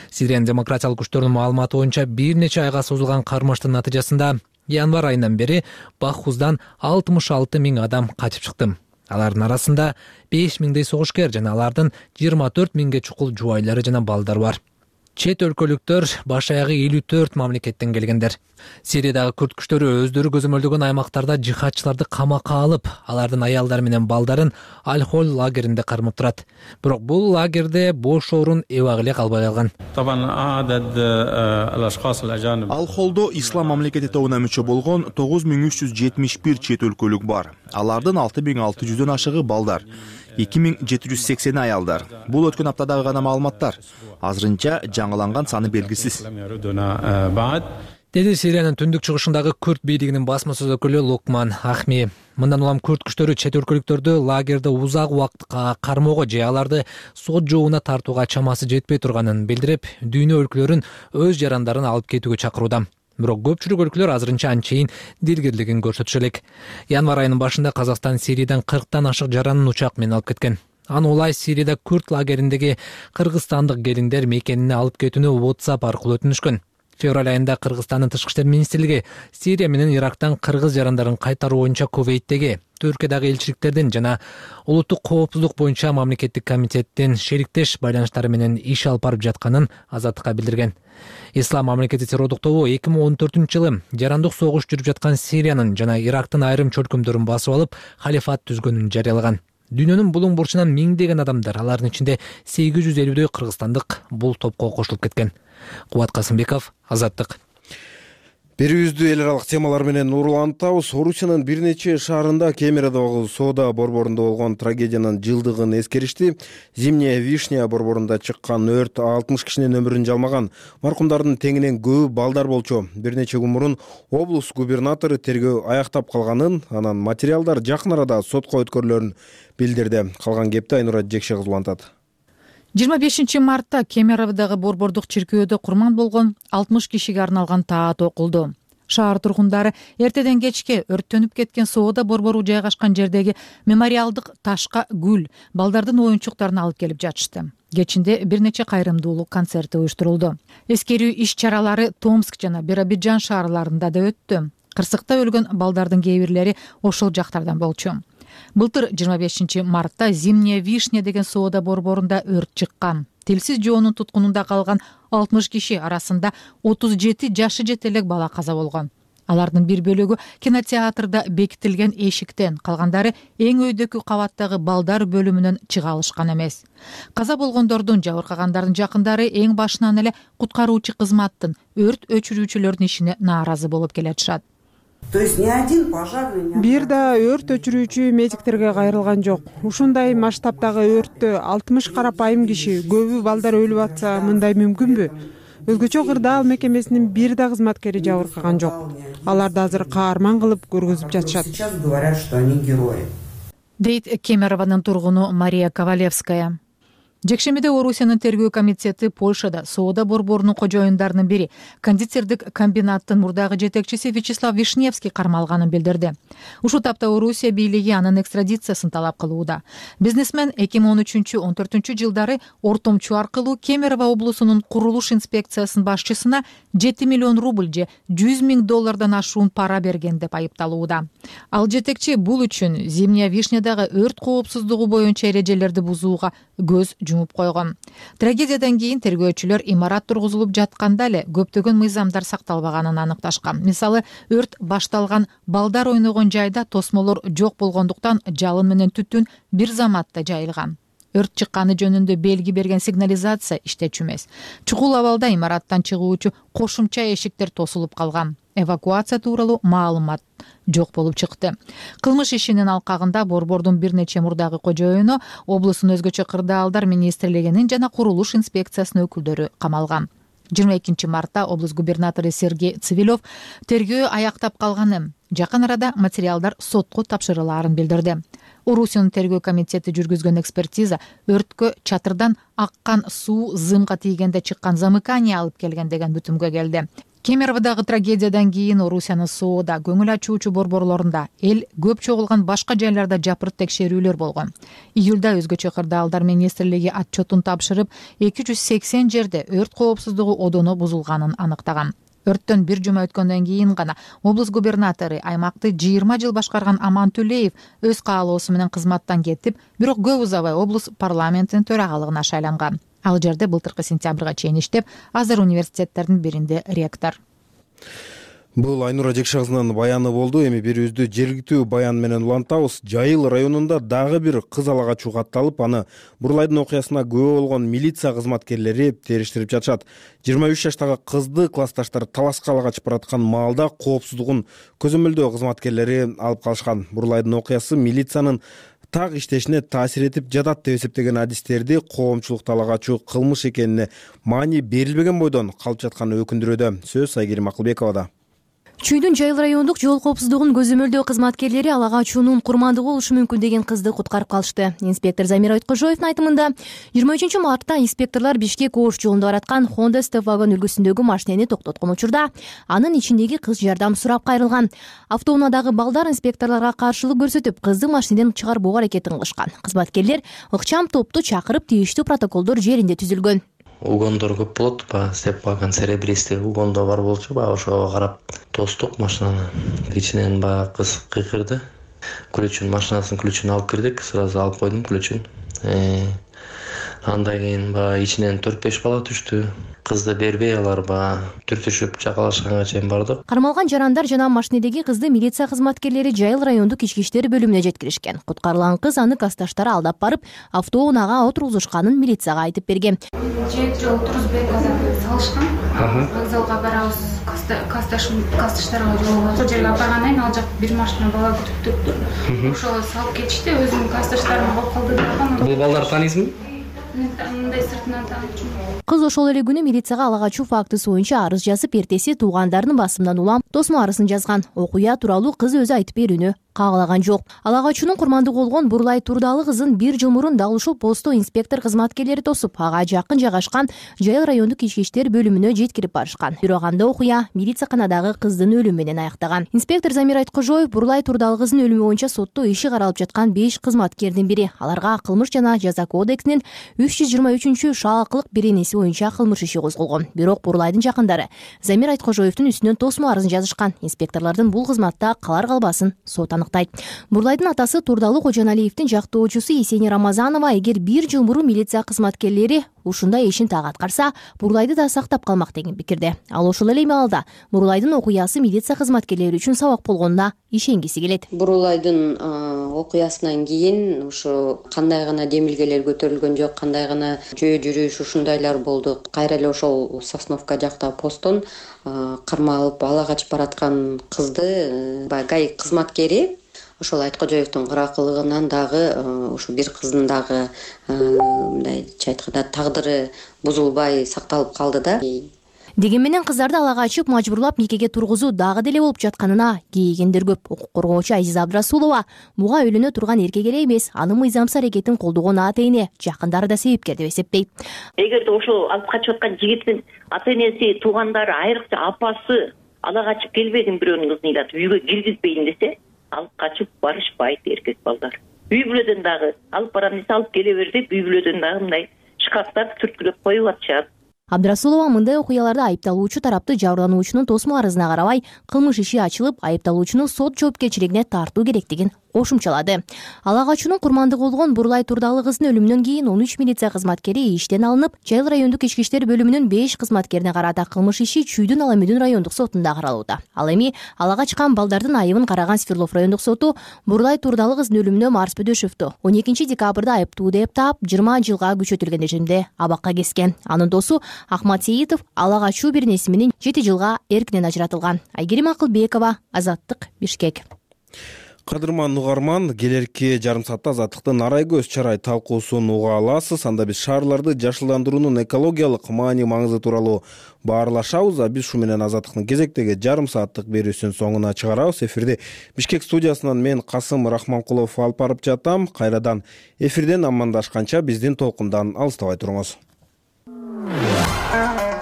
Сириянын демократиялык күчтөрүнүн маалыматы боюнча бир нече айга созулган кармаштын натыйжасында январь айынан бери Бахуздан алтымыш алты миң адам качып чыкты. Алардын арасында беш миңдей согушкер жана алардын жыйырма төрт миңге чукул жубайлары жана балдары бар. Чет өлкөлүктөр баш аягы элүү төрт мамлекеттен келгендер. Сириядагы күрд күчтөрү өздөрү көзөмөлдөгөн аймактарда жихадчыларды камакка алып, алардын аялдары менен балдарын Аль-Холь лагеринде кармап турат. Бирок бул лагерде бош орун эбак эле калбай калган. Аль-Холдо ислам мамлекети тобуна мүчө болгон тогуз миң үч жүз жетимиш бир чет өлкөлүк бар. Алардын алты миң алты жүздөн ашыгы балдар, эки миң жети жүз сексени аялдар. Бул өткөн аптадагы гана маалыматтар. Азырынча жаңыланган саны белгисиз. Деди Сириянын түндүк чыгышындагы күрд бийлигинин басма сөз өкүлү Лукман Ахми. Мындан улам күрд күчтөрү чет өлкөлүктөрдү лагерде узак убакытка кармоого же аларды сот жообуна тартууга чамасы жетпей турганын билдирип, дүйнө өлкөлөрүн өз жарандарын алып кетүүгө чакырууда. Бирок көпчүлүк өлкөлөр азырынча анчейин дилгирлигин көрсөтүшө элек. Январь айынын башында Казакстан Сириядан кырктан ашык жаранын учак менен алып кеткен. Аны улай Сирияда күрд лагериндеги кыргызстандык келиндер мекенине алып кетүүнү WhatsApp аркылуу өтүнүшкөн. Февраль айында Кыргызстандын тышкы иштер министрлиги Сирия менен Ирактан кыргыз жарандарын кайтаруу боюнча Кувейттеги, Түркиядагы элчиликтердин жана улуттук коопсуздук боюнча мамлекеттик комитеттин шериктеш байланыштары менен иш алып барып жатканын Азаттыкка билдирген. Ислам мамлекети террордук тобу эки миң он төртүнчү жылы жарандык согуш жүрүп жаткан Сириянын жана Ирактын айрым чөлкөмдөрүн басып алып, халифат түзгөнүн жарыялаган. Дүйнөнүн булуң бурчунан миңдеген адамдар, алардын ичинде сегиз жүз элүүдөй кыргызстандык бул топко кошулуп кеткен. Кубат Касымбеков, Азаттык. Берүүбүздү эл аралык темалар менен уруулантабыз. Орусиянын бир нече шаарында Кемерадагы соода борборунда болгон трагедиянын жылдыгын эскеришти. Зимняя вишня борборунда чыккан өрт алтымыш кишинин өмүрүн жалмаган. Маркумдардын теңинен көбү балдар болчу. Бир нече күн мурун облус губернатору тергөө аяктап калганын, анан материалдар жакын арада сотко өткөрүлөрүн билдирди. Калган кепти Айнура Жекше кызулантат. жыйырма бешинчи мартта Кемеровдагы борбордук чиркөөдө курман болгон алтымыш кишиге арналган таат окулду. Шаар тургундары эртеден кечке өрттөнүп кеткен соода борбору жайгашкан жердеги мемориалдык ташка гүл, балдардын оюнчуктарын алып келип жатышты. Кечинде бир нече кайрымдуулук концерти уюштурулду. Эскерүү иш-чаралары Томск жана Биробиджан шаарларында да өттү. Кырсыкта өлгөн балдардын кээ бирлери ошол жактардан болчу. Былтыр жыйырма бешинчи мартта Зимняя вишня деген соода борборунда өрт чыккан. Тилсиз жоонун туткунунда калган алтымыш киши арасында отуз жети жашы жете элек бала каза болгон. Алардын бир бөлүгү кинотеатрда бекитилген эшиктен, калгандары эң өйдөкү кабаттагы балдар бөлүмүнөн чыга алышкан эмес. Каза болгондордун, жабыркагандардын жакындары эң башынан эле куткаруучу кызматтын, өрт өчүрүүчүлөрдүн ишине нааразы болуп келатышат. Бир да өрт өчүрүүчү медиктерге кайрылган жок. Ушундай масштабтагы өрттө алтымыш карапайым киши, көбү балдар өлүп атса, мындай мүмкүнбү? Өзгөчө кырдаал мекемесинин бир да кызматкери жабыркаган жок. Аларды азыр каарман кылып көргөзүп жатышат. Дейт Кемерованын тургуну Мария Ковалевская. Жекшемиде Орусиянын тергөө комитети Польшада соода борборунун кожоюндарынын бири, кондитердик комбинаттын мурдагы жетекчиси Вячеслав Вишневский кармалганын билдирди. Ушул тапта Орусия бийлиги анын экстрадициясын талап кылууда. Бизнесмен эки миң он үчүнчү он төртүнчү жылдары ортомчу аркылуу Кемерово облусунун курулуш инспекциясынын башчысына жети миллион рубль же жүз миң доллардан ашуун пара берген деп айыпталууда. Ал жетекчи бул үчүн Зимняя вишнядагы өрт коопсуздугу боюнча эрежелерди бузууга көз жумуп койгон. Трагедиядан кийин тергөөчүлөр имарат тургузулуп жатканда эле көптөгөн мыйзамдар сакталбаганын аныкташкан. Мисалы, өрт башталган балдар ойногон жайда тосмолор жок болгондуктан жалын менен түтүн бир заматта жайылган. Өрт чыкканы жөнүндө белги берген сигнализация иштечү эмес. Чукул абалда имараттан чыгуучу кошумча эшиктер тосулуп калган. Эвакуация тууралуу маалымат жок болуп чыкты. Кылмыш ишинин алкагында борбордун бир нече мурдагы кожоюну, облустун өзгөчө кырдаалдар министрлигинин жана курулуш инспекциясынын өкүлдөрү камалган. жыйырма экинчи мартта облус губернатору Сергей Цивилев тергөө аяктап калганын, жакын арада материалдар сотко тапшырылаарын билдирди. Орусиянын тергөө комитети жүргүзгөн экспертиза өрткө чатырдан аккан суу зымга тийгенде чыккан замыкание алып келген деген бүтүмгө келди. Кемеровдагы трагедиядан кийин Орусиянын Соода, көңүл ачуучу борборлорунда, эл көп чогулган башка жайларда жапырт текшерүүлөр болгон. Июлда өзгөчө кырдаалдар министрлиги отчетун тапшырып, эки жүз сексен жерде өрт коопсуздугу одоно бузулганын аныктаган. Өрттөн бир жума өткөндөн кийин гана облус губернатору, аймакты жыйырма жыл башкарган Аман Төлеев өз каалоосу менен кызматтан кетип, бирок көп узабай облус парламентинин төрагалыгына шайланган. Ал жерде былтыркы сентябрга чейин иштеп, азыр университеттердин биринде ректор. Бул Айнура Жекшагызынын баяны болду. Эми берүүбүздү жергиликтүү баян менен улантабыз. Жайыл районунда дагы бир кыз ала качуу катталып, аны Бурлайдын окуясына күбө болгон милиция кызматкерлери териштирип жатышат. жыйырма үч жаштагы кызды классташтары талашка ала качып бараткан маалда коопсуздугун көзөмөлдөө кызматкерлери алып калышкан. Бурлайдын окуясы милициянын так иштешине таасир этип жатат деп эсептеген адистерди коомчулукта ала качуу кылмыш экенине маани берилбеген бойдон калып жатканы өкүндүрүүдө. Сөз Айгерим Акылбековада. Чүйдүн Жайыл райондук жол коопсуздугун көзөмөлдөө кызматкерлери ала качуунун курмандыгы болушу мүмкүн деген кызды куткарып калышты. Инспектор Замир Айткожоевдун айтымында, жыйырма үчүнчү мартта инспекторлор Бишкек Ош жолунда бараткан Honda Step вагон үлгүсүндөгү машинени токтоткон учурда анын ичиндеги кыз жардам сурап кайрылган. Автоунаадагы балдар инспекторлорго каршылык көрсөтүп, кызды машинеден чыгарбоо аракетин кылышкан. Кызматкерлер ыкчам топту чакырып, тийиштүү протоколдор жеринде түзүлгөн. Угондор көп болот, баягы степ вагон серебристый угондо бар болчу, баягы ошого карап тостук машинаны. Ичинен баягы кыз кыйкырды. Ключун, машинасынын ключун алып кирдик, сразу алып койдум ключун. Андан кийин баягы ичинен төрт беш бала түштү. Кызды бербей алар баягы түртүшүп жакалашканга чейин бардык. Кармалган жарандар жана машинедеги кызды милиция кызматкерлери Жайыл райондук ички иштер бөлүмүнө жеткиришкен. Куткарылган кыз аны кассташтары алдап барып, автоунаага отургузушканын милицияга айтып берген. Жети жол турузбек салышкан. Вокзалга барабыз, кассташтарга жолугуп ошол жерге апаргандан кийин ал жак бир машина бала күтүп турупту. Ошого салып кетишти, өзүмдүн кассташтарым болуп калды дагы. Бул балдарды тааныйсызбы? Мындай сыртынан таанычумун. Кыз ошол эле күнү милицияга ала качуу фактысы боюнча арыз жазып, эртеси туугандарынын басымынан улам тосмо арызын жазган. Окуя тууралуу кыз өзү айтып берүүнү каалаган жок. Ала качуунун курмандыгы болгон Бурлай Турдалы кызын бир жыл мурун дал ушул постто инспектор кызматкерлери тосуп, ага жакын жайгашкан Жайыл райондук ички иштер бөлүмүнө жеткирип барышкан. Бирок анда окуя милицияканадагы кыздын өлүмү менен аяктаган. Инспектор Замир Айткожоев Бурлай Турдалы кыздын өлүмү боюнча сотто иши каралып жаткан беш кызматкердин бири. Аларга кылмыш жана жаза кодексинин үч жүз жыйырма үчүнчү шаалкылык беренеси боюнча кылмыш иши козголгон. Бирок Бурлайдын жакындары Замир Айткожоевдун үстүнөн тосмо арызын жазышкан. Инспекторлордун бул кызматта калар калбасын сот аныктайт. Бурлайдын атасы Турдалы Кожоналиевдин жактоочусу Есени Рамазанова, эгер бир жыл мурун милиция кызматкерлери ушундай ишин так аткарса, Бурлайды да сактап калмак деген пикирде. Ал ошол эле маалда Бурлайдын окуясы милиция кызматкерлери үчүн сабак болгонуна ишенгиси келет. Бурлайдын окуясынан кийин ушу кандай гана демилгелер көтөрүлгөн жок, кандай гана жөө жүрүш ушундайлар болду. Кайра эле ошол Сосновка жакта посттон кармалып ала качып бараткан кызды ГАИ кызматкери ошол Айткожоевдун кыракылыгынан дагы ушу бир кыздын дагы мындайча айтканда тагдыры бузулбай сакталып калды да. Деген менен кыздарды ала качып мажбурлап никеге тургузуу дагы деле болуп жатканына кейигендер көп. Укук коргоочу Азиза Абдрасулова буга үйлөнө турган эркек эле эмес, анын мыйзамсыз аракетин колдогон ата эне, жакындары да себепкер деп эсептейт. Эгерде ошол алып качып аткан жигиттин ата энеси, туугандары, айрыкча апасы ала качып келбедим бирөөнүн кызын ыйлатып үйгө киргизбейин десе, алып качып барышпайт эркек балдар. Үй бүлөдөн дагы алып барам десе алып келе бер деп үй бүлөдөн дагы мындай шкафтар түрткүлөп коюп атышат. Абдрасулова мындай окуяларда айыпталуучу тарапты жабырлануучунун тосмо арызына карабай кылмыш иши ачылып, айыпталуучуну сот жоопкерчилигине тартуу керектигин кошумчалады. Ала качуунун курмандыгы болгон Бурлай Турдалы кыздын өлүмүнөн кийин он үч милиция кызматкери иштен алынып, Жайыл райондук ички иштер бөлүмүнүн беш кызматкерине карата кылмыш иши Чүйдүн Аламүдүн райондук сотунда каралууда. Ал эми ала качкан балдардын айыбын караган Свердлов райондук соту Бурлай Турдалы кыздын өлүмүнө Марс Бөдөшевду он экинчи декабрда айыптуу деп таап, жыйырма жылга күчөтүлгөн режимде абакка кескен. Анын досу Ахмат Сейитов ала качуу беренеси менен жети жылга эркинен ажыратылган. Айгерим Акылбекова, Азаттык, Бишкек. Кадырман угарман, келерки жарым саатта Азаттыктын арай көз чарай талкуусун уга аласыз. Анда биз шаарларды жашылдандыруунун экологиялык маани маңызы тууралуу баарлашабыз. А биз ушу менен Азаттыктын кезектеги жарым сааттык берүүсүнүн соңуна чыгарабыз. Эфирде Бишкек студиясынан мен Касым Рахманкулов алып барып жатам. Кайрадан эфирден амандашканча биздин толкундан алыстабай туруңуз.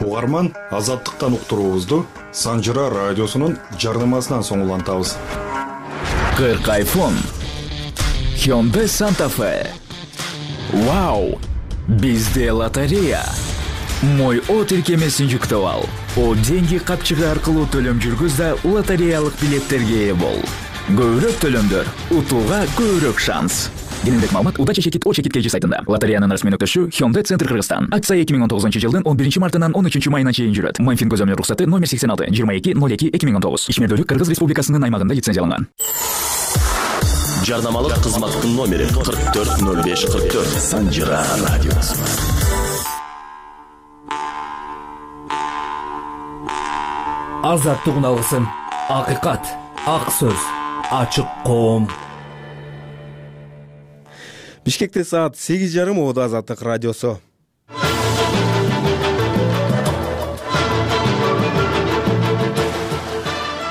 Угарман Азаттыктан уктуруубузду Санжыра радиосунун жарнамасынан соң улантабыз. кырк айфон, Hyundai Santa Fe. Вау! Бизде лотерея. Мой О тиркемесин жүктөп ал. О деньги капчыгы аркылуу төлөм жүргүз да лотереялык билеттерге ээ бол. Көбүрөөк төлөмдөр, утууга көбүрөөк шанс. Кененирээк маалымат Удача чекит О чекит кей жи сайтында. Лотереянын расмий нүктөшү Hyundai Центр Кыргызстан. Акция эки миң он тогузунчу жылдын он биринчи мартынан он үчүнчү майына чейин жүрөт. Майнфин көзөмөл уруксаты номер сексен алты жыйырма эки ноль эки эки миң он тогуз. Ишмердүүлүк Кыргыз Республикасынын аймагында лицензияланган. Жарнамалык кызматтын номери кырк төрт ноль беш кырк төрт. Санжыра радиосу. Азаттык уналгысын. Акыйкат, ак сөз, ачык коом. Бишкекте саат сегиз жарым Оодо Азаттык радиосу.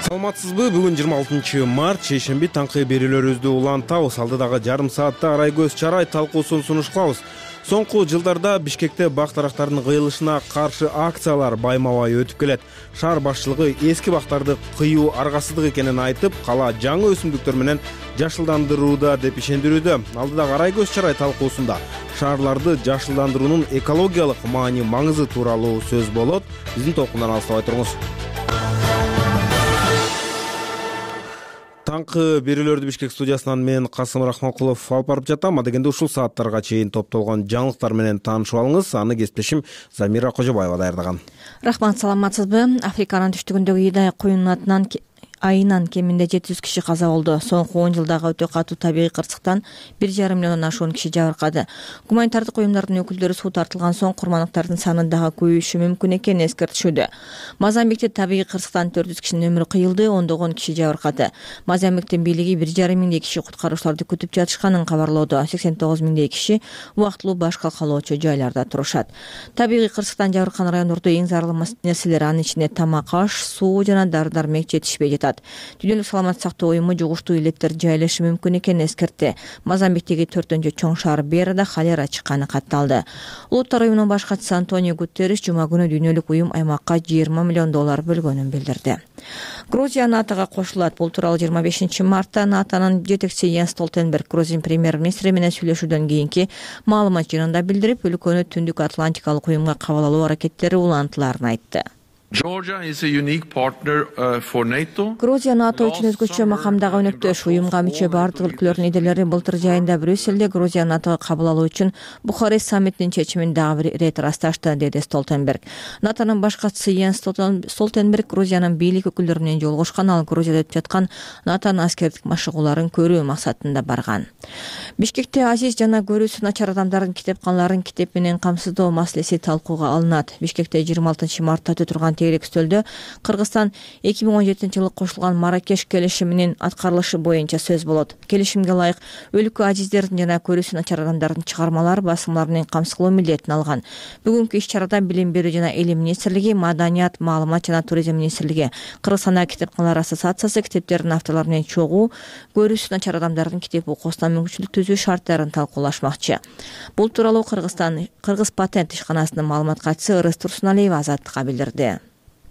Саламатсызбы? Бүгүн жыйырма алтынчы март, шейшемби таңкы берүүлөрүбүздү улантабыз. Алдыдагы жарым саатта арай көз чарай талкуусун сунуш кылабыз. Соңку жылдарда Бишкекте бактарактардын кыйылышына каршы акциялар байма-бай өтүп келет. Шаар башчылыгы эски бактарды кыюу аргасыздык экенин айтып, кала жаңы өсүмдүктөр менен жашылдандырууда деп ишендирүүдө. Алдыдагы арай көз чарай талкуусунда шаарларды жашылдандыруунун экологиялык маани маңызы тууралуу сөз болот. Биздин толкундан алыстабай туруңуз. Таңкы берүүлөрдү Бишкек студиясынан мен Касым Рахманкулов алып барып жатам. Адегенде ушул сааттарга чейин топтолгон жаңылыктар менен таанышып алыңыз. Аны кесиптешим Замира Кожобаева даярдаган. Рахмат, саламатсызбы? Африканын түштүгүндөгү Идай куюнун атынан айынан кеминде жети жүз киши каза болду. Соңку он жылдагы өтө катуу табигый кырсыктан бир жарым миллиондон ашуун киши жабыркады. Гуманитардык уюмдардын өкүлдөрү суу тартылган соң курмандыктардын саны дагы көбөйүшү мүмкүн экенин эскертишүүдө. Мозамбикте табигый кырсыктан төрт жүз кишинин өмүрү кыйылды, ондогон киши жабыркады. Мозамбиктин бийлиги бир жарым миңдей киши куткаруучуларды күтүп жатышканын кабарлоодо. сексен тогуз миңдей киши убактылуу баш калкалоочу жайларда турушат. Табигый кырсыктан жабыркан райондордо эң зарыл нерселер, анын ичинде тамак, аш, суу жана дары-дармек жетишпей жатат. Дүйнөлүк саламаттык сактоо уюму жугуштуу илеттер жайлашы мүмкүн экенин эскертти. Мозамбиктеги төртүнчү чоң шаар Берада холера чыкканы катталды. Улуттар уюмунун баш катчысы Антонио Гутерриш жума күнү дүйнөлүк уюм аймакка жыйырма миллион доллар бөлгөнүн билдирди. Грузия НАТОга кошулат. Бул тууралуу жыйырма бешинчи мартта НАТОнун жетекчиси Йенс Столтенберг Грузия премьер-министри менен сүйлөшүүдөн кийинки маалымат жыйынында билдирип, өлкөнү Түндүк Атлантикалык уюмга кабыл алуу аракеттери улантыларын айтты. Грузия НАТО үчүн өзгөчө макамдагы өнөктөш. Уюмга мүчө бардык өлкөлөрдүн лидерлери былтыр жайында Брюсселде Грузия натога кабыл алуу үчүн Бухарест саммитинин чечимин дагы бир ирет ырасташты, деди Столтенберг. НАТОнун баш катчысы Йенс Столтенберг Грузиянын бийлик өкүлдөрү менен жолугушкан, ал Грузияда өтүп жаткан НАТОнун аскердик машыгууларын көрүү максатында барган. Бишкекте азиз жана көрүүсү начар адамдардын китепканаларын китеп менен камсыздоо маселеси талкууга алынат. Бишкекте жыйырма алтынчы мартта өтүп турган тейлик стөлдө Кыргызстан эки миң он жетинчи жылы кошулган Марракеш келишиминин аткарылышы боюнча сөз болот. Келишимге ылайык өлкө азиздердин жана көрүүсү начар адамдардын чыгармалары басымлары менен камсыз кылуу милдетин алган. Бүгүнкү иш-чарада Билим берүү жана Элим министрлиги, Маданият, маалымат жана туризм министрлиги, Кыргызстандагы китепканалар ассоциациясы китептердин авторлору менен чогуу көрүүсү начар адамдардын китеп окуусуна мүмкүнчүлүк түзүү шарттарын талкуулашмакчы. Бул тууралуу Кыргызстан Кыргыз патент ишканасынын маалымат катчысы Ырыс Турсуналиева Азаттыкка билдирди.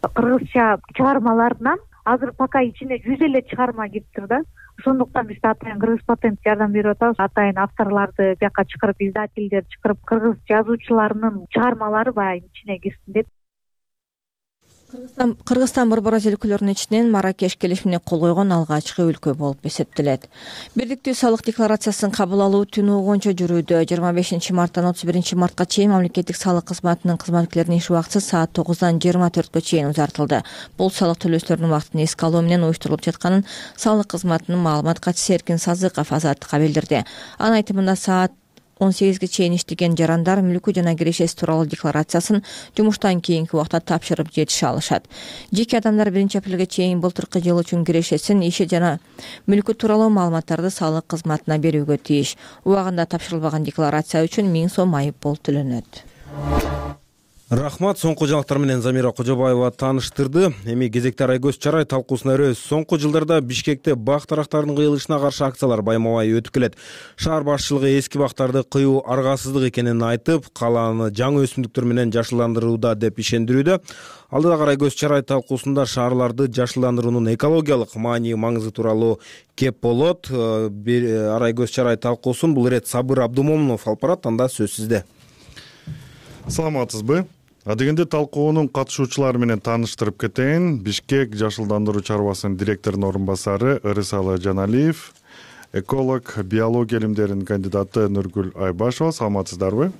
Кыргызча чыгармаларынан азыр пока ичине жүз элүү чыгарма кириптир да. Ошондуктан биз атайын Кыргыз патент жардам берип атабыз. Атайын авторларды бияка чакырып, издательдерди чакырып, кыргыз жазуучуларынын чыгармалары баягы ичине кирсин деп. Кыргызстан Борборос өлкөлөрүнүн ичинен Марракеш келишимине кол койгон алгачкы өлкө болуп эсептелет. Бирдиктүү салык декларациясын кабыл алуу түнү угунча жүрүүдө. жыйырма бешинчи марттан отуз биринчи мартка чейин мамлекеттик салык кызматынын кызматкерлеринин иш убактысы саат тогуздан жыйырма төрткө чейин узартылды. Бул салык төлөөчүлөрдүн убактын эске алуу менен уюштурулуп жатканын салык кызматынын маалымат катчысы Эркин Сазыков Азаттыкка билдирди. Анын айтымында саат он сегизге чейин иштеген жарандар мүлкү жана кирешеси тууралуу декларациясын жумуштан кийинки убакта тапшырып жетише алышат. Жеке адамдар биринчи апрелге чейин былтыркы жыл үчүн кирешесин, иши жана мүлкү тууралуу маалыматтарды салык кызматына берүүгө тийиш. Убагында тапшырылбаган декларация үчүн миң сом айып пул төлөнөт. Рахмат. Соңку жаңылыктар менен Замира Кожобаева тааныштырды. Эми кезекте Арайкөз Чарай талкуусуна өрөбүз. Соңку жылдарда Бишкекте бак дарактарынын кыйылышына каршы акциялар байма-бай өтүп келет. Шаар башчылыгы эски бактарды кыюу аргасыздык экенин айтып, калааны жаңы өсүмдүктөр менен жашылдандырууда деп ишендирүүдө. Алдыдагы Арайкөз Чарай талкуусунда шаарларды жашылдандыруунун экологиялык маани маңызы тууралуу кеп болот. Арайкөз Чарай талкуусун бул ирет Сабыр Абдумомунов алып барат. Анда сөз сизде. Саламатсызбы? Адегенде талкуунун катышуучулары менен тааныштырып кетейин. Бишкек жашылдандыруу чарбасынын директорунун орун басары Ырысалы Жаналиев, эколог, биология илимдеринин кандидаты Нургүл Айбашева. Саламатсыздарбы?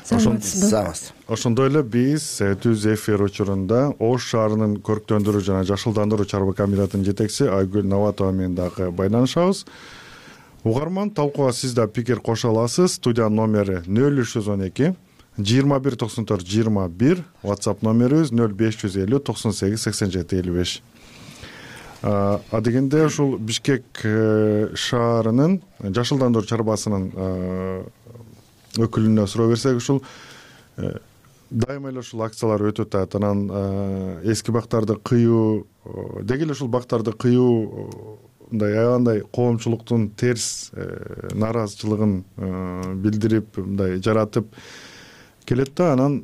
Саламатсызбы. Ошондой эле биз түз эфир учурунда Ош шаарынын көрктөндүрүү жана жашылдандыруу чарба комитетинин жетекчиси Айгүл Наватова менен дагы байланышабыз. Угарман, талкууга сиз да пикир кошо аласыз. Студиянын номери нөл үч жүз он эки жыйырма бир токсон төрт жыйырма бир, WhatsApp номерибиз нөл беш жүз элүү токсон сегиз сексен жети элүү беш. Адегенде ушул Бишкек шаарынын жашылдандыруу чарбасынын өкүлүнө суроо берсек, ушул дайыма эле ушул акциялар өтүп атат. Анан эски бактарды кыюу, деги эле ушул бактарды кыюу мындай аябандай коомчулуктун терс нааразычылыгын билдирип, мындай жаратып келет да. Анан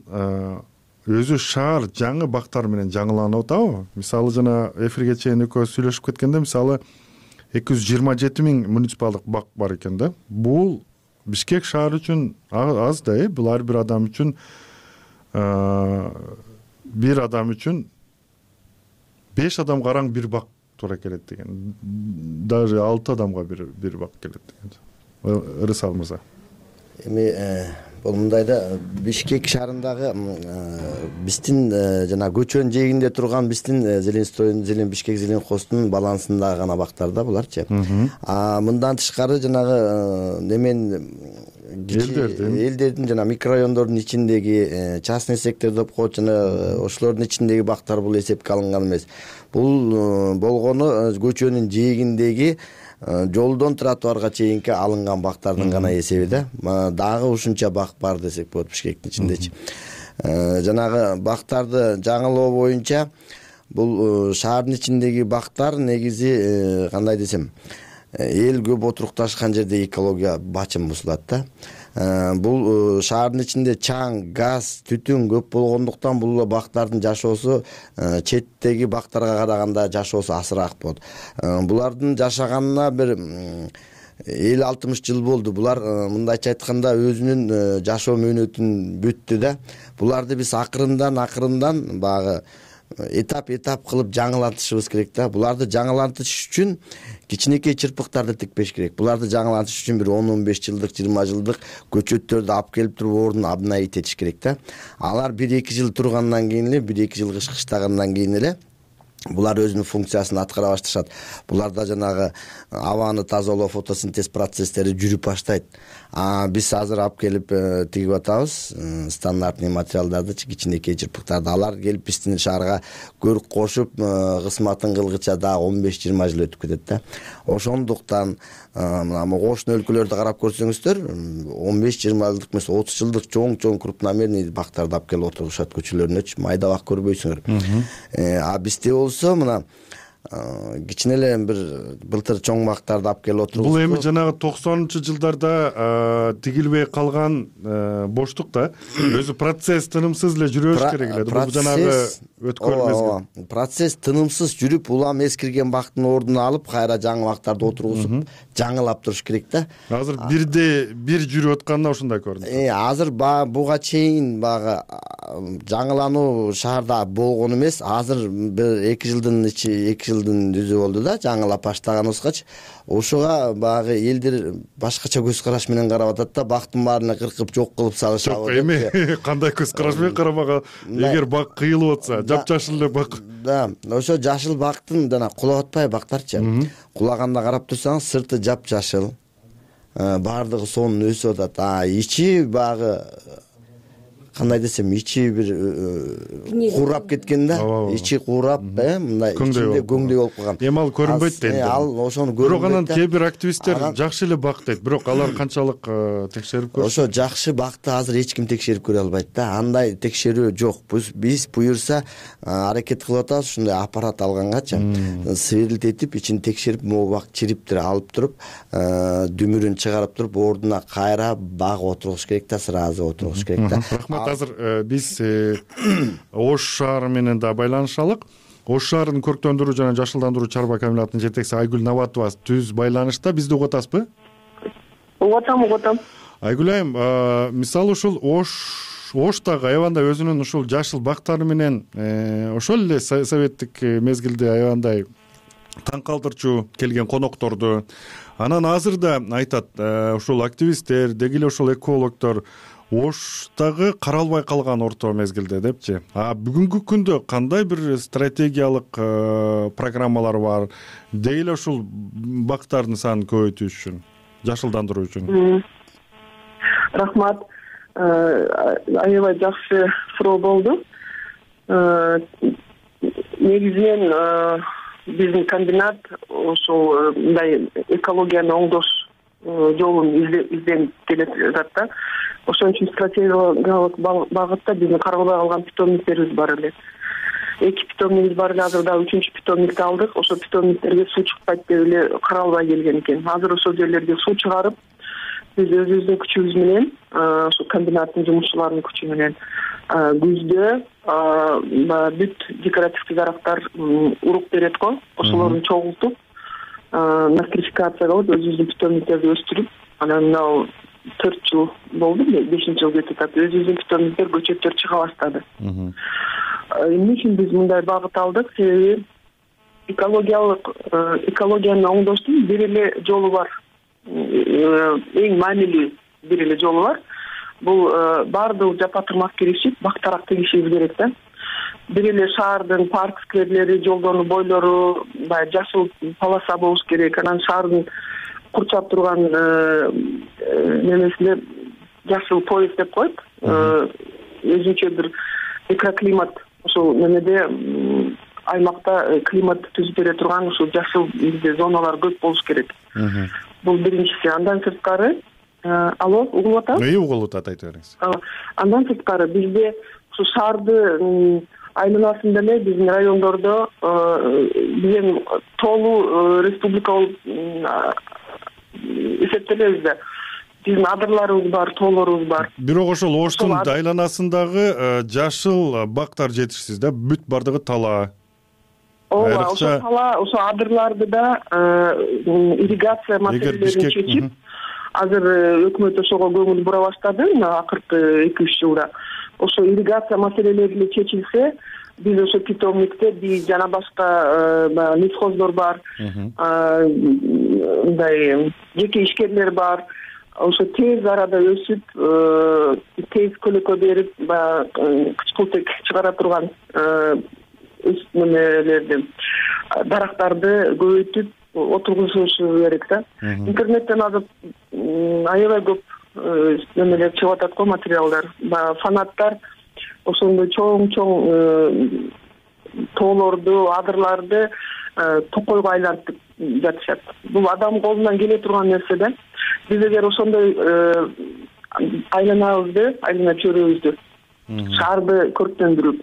өзү шаар жаңы бактар менен жаңыланып атабы? Мисалы жана эфирге чейин экөөбүз сүйлөшүп кеткенде, мисалы эки жүз жыйырма жети миң муниципалдык бак бар экен да. Бул Бишкек шаары үчүн аз да, бул ар бир адам үчүн бир адам үчүн беш адам караң бир бак туура келет деген. Даже алты адамга бир бир бак келет деген. Ырысал мырза. Эми бул мындайда Бишкек шаарындагы биздин жана көчөнүн жээгинде турган биздин Зеленстройдун, Зелен Бишкек Зелен Хостун балансындагы гана бактар да буларчы. А мындан тышкары жанагы немен элдердин жана микрорайондордун ичиндеги частный сектор деп коет, жана ошолордун ичиндеги бактар бул эсепке алынган эмес. Бул болгону көчөнүн жээгиндеги жолдон тротуарга чейинки алынган бактардын гана эсеби да. Дагы ушунча бак бар десек болот Бишкектин ичиндечи. Жанагы бактарды жаңылоо боюнча бул шаардын ичиндеги бактар негизи кандай десем, эл көп отурукташкан жерде экология бачым бузулат да. Бул шаардын ичинде чаң, газ, түтүн көп болгондуктан бул бактардын жашоосу четтеги бактарга караганда жашоосу азыраак болот. Булардын жашаганына бир элүү алтымыш жыл болду. Булар мындайча айтканда өзүнүн жашоо мөөнөтүн бүттү да. Буларды биз акырындан акырындан багы этап этап кылып жаңылантышыбыз керек да. Буларды жаңылантыш үчүн кичинекей чырпыктарды тикпеш керек. Буларды жаңылантыш үчүн бир он он беш жылдык, жыйырма жылдык көчөттөрдү алып келип туруп ордун обновить этиш керек да. Алар бир эки жыл тургандан кийин эле, бир эки жыл кыштагандан кийин эле булар өзүнүн функциясын аткара башташат. Буларда жанагы абаны тазалоо, фотосинтез процесстери жүрүп баштайт. А биз азыр алып келип тигип атабыз стандартный материалдарды, кичинекей чырпыктарды. Алар келип биздин шаарга көрүк кошуп, кызматын кылгыча дагы он беш жыйырма жыл өтүп кетет да. Ошондуктан мына кошуна өлкөлөрдү карап көрсөңүздөр, он беш жыйырма жылдык эмес, отуз жылдык чоң-чоң крупномерный бактарды алып келип отурушат көчөлөрүнөчү. Майда бак көрбөйсүңөр. А бизде болсо мына кичине эле бир былтыр чоң бактарды алып келип отурубуз. Бул эми жанагы токсонунчу жылдарда тигилбей калган боштук да. Өзү процесс тынымсыз эле жүрө бериш керек эле. Бул жанагы өткөн мезгил. Процесс тынымсыз жүрүп, улам эскирген бактын ордуна алып, кайра жаңы бактарды отургузуп, жаңылап туруш керек да. Азыр бирде бир жүрүп атканда ушундай көрүнөт. Э, азыр буга чейин багы жаңылануу шаарда болгон эмес. Азыр бир эки жылдын ичи, эки жылдын жүзү болду да, жаңылап баштаганыбызгачы. Ошого багы элдер башкача көз караш менен карап атат да, бактын баарын кыркып жок кылып салышат. Жок, эми кандай көз караш менен карабага, эгер бак кыйылып атса, жапжашыл эле бак. Да, ошо жашыл бактын жана кулап атпай бактарчы. Кулаганда карап турсаңыз, сырты жапжашыл, баардыгы сонун өсүп атат. А ичи багы кандай десем, ичи бир куурап кеткен да, ичи куурап, э мындай ичинде көңдөй болуп калган. Эми ал көрүнбөйт дейт. Ал ошону көрүнбөйт. Бирок анан кээ бир активисттер жакшы эле бак дейт. Бирок алар канчалык текшерип көрүш? Ошо жакшы бакты азыр эч ким текшерип көрө албайт да. Андай текшерүү жок. Биз буюрса аракет кылып атабыз, ушундай аппарат алгангачы сверлитип ичин текшерип, могу бак чириптир алып туруп, дүмүрүн чыгарып туруп, ордуна кайра баг отургуш керек да, сразу отургуш керек да. Рахмат. Азыр биз Ош шаары менен да байланышалык. Ош шаарынын көрктөндүрүү жана жашылдандыруу чарба комбинатынын жетекчиси Айгүл Наватова түз байланышта. Бизди угуп атасызбы? Угуп атам, угуп атам. Айгүл айым, мисалы ушул Ош Оштагы аябандай өзүнүн ушул жашыл бактары менен ошол эле советтик мезгилде аябандай таң калтырчу келген конокторду, анан азыр да айтат ушул активисттер, деги эле ошол экологдор Оштагы каралбай калган орто мезгилде депчи. А бүгүнкү күндө кандай бир стратегиялык программалар бар, деги эле ушул бактардын санын көбөйтүш үчүн, жашылдандыруу үчүн? Рахмат. Аябай жакшы суроо болду. Негизинен биздин комбинат ошол мындай экологияны оңдош жолун изденип келе жатат да. Ошон үчүн стратегиялык багытта биздин каралбай калган питомниктерибиз бар эле. Эки питомнигибиз бар эле, азыр дагы үчүнчү питомникти алдык. Ошол питомниктерге суу чыкпайт деп эле каралбай келген экен. Азыр ошол жерлерге суу чыгарып, биз өзүбүздүн күчүбүз менен, ошо комбинаттын жумушчуларынын күчү менен күздө бүт декоративдик дарактар урук берет го, ошолорду чогултуп, настрификация кылып, өзүбүздүн питомниктерди өстүрүп, анан мына төрт жыл болду, бешинчи жыл кетип атат. Өзүбүздүн питомниктер, көчөттөр чыга баштады. Эмне үчүн биз мындай багыт алдык? Себеби экологиялык экологияны оңдоштун бир эле жолу бар. Эң маанилүү бир эле жолу бар. Бул баардык жапа-тырмак киришип, бактарак тегишибиз керек да. Бир эле шаардын парк скверлери, жолдордун бойлору баягы жашыл полоса болуш керек. Анан шаардын курчап турган немесинде жашыл пояс деп коет. Өзүнчө бир микроклимат, ошол немеде аймакта климат түзүп бере турган ушул жашыл бизде зоналар көп болуш керек. Бул биринчиси. Андан сырткары, алло, угулуп атабы? Үй угулуп атат, айта бериңиз. Андан сырткары бизде ушу шаарды айланасында эле биздин райондордо биздин тоолуу республика болуп эсептелебиз да. Биздин адырларыбыз бар, тоолорубуз бар. Бирок ошол Оштун айланасындагы жашыл бактар жетишсиз да, бүт бардыгы тала. Ооба, ошо тала, ошо адырларды да ирригация маселелерин чечип, азыр өкмөт ошого көңүл бура баштады, акыркы эки үч жылда. Ошо ирригация маселелери чечилсе, биз ошо питомникте биз жана башка лесхоздор бар, мындай жеке ишкерлер бар. Ошо тез арада өсүп, тез көлөкө берип, баягы кычкылтек чыгара турган немелерди, дарактарды көбөйтүп отургузушу керек да. Интернеттен азыр аябай көп немелер чыгып атат го, материалдар, баягы фанаттар ошондой чоң-чоң тоолорду, адырларды токойго айлантып жатышат. Бул адам колунан келе турган нерсе да. Биз эгер ошондой айланабызды, айлана чөйрөбүздү шаарды көрктөндүрүп,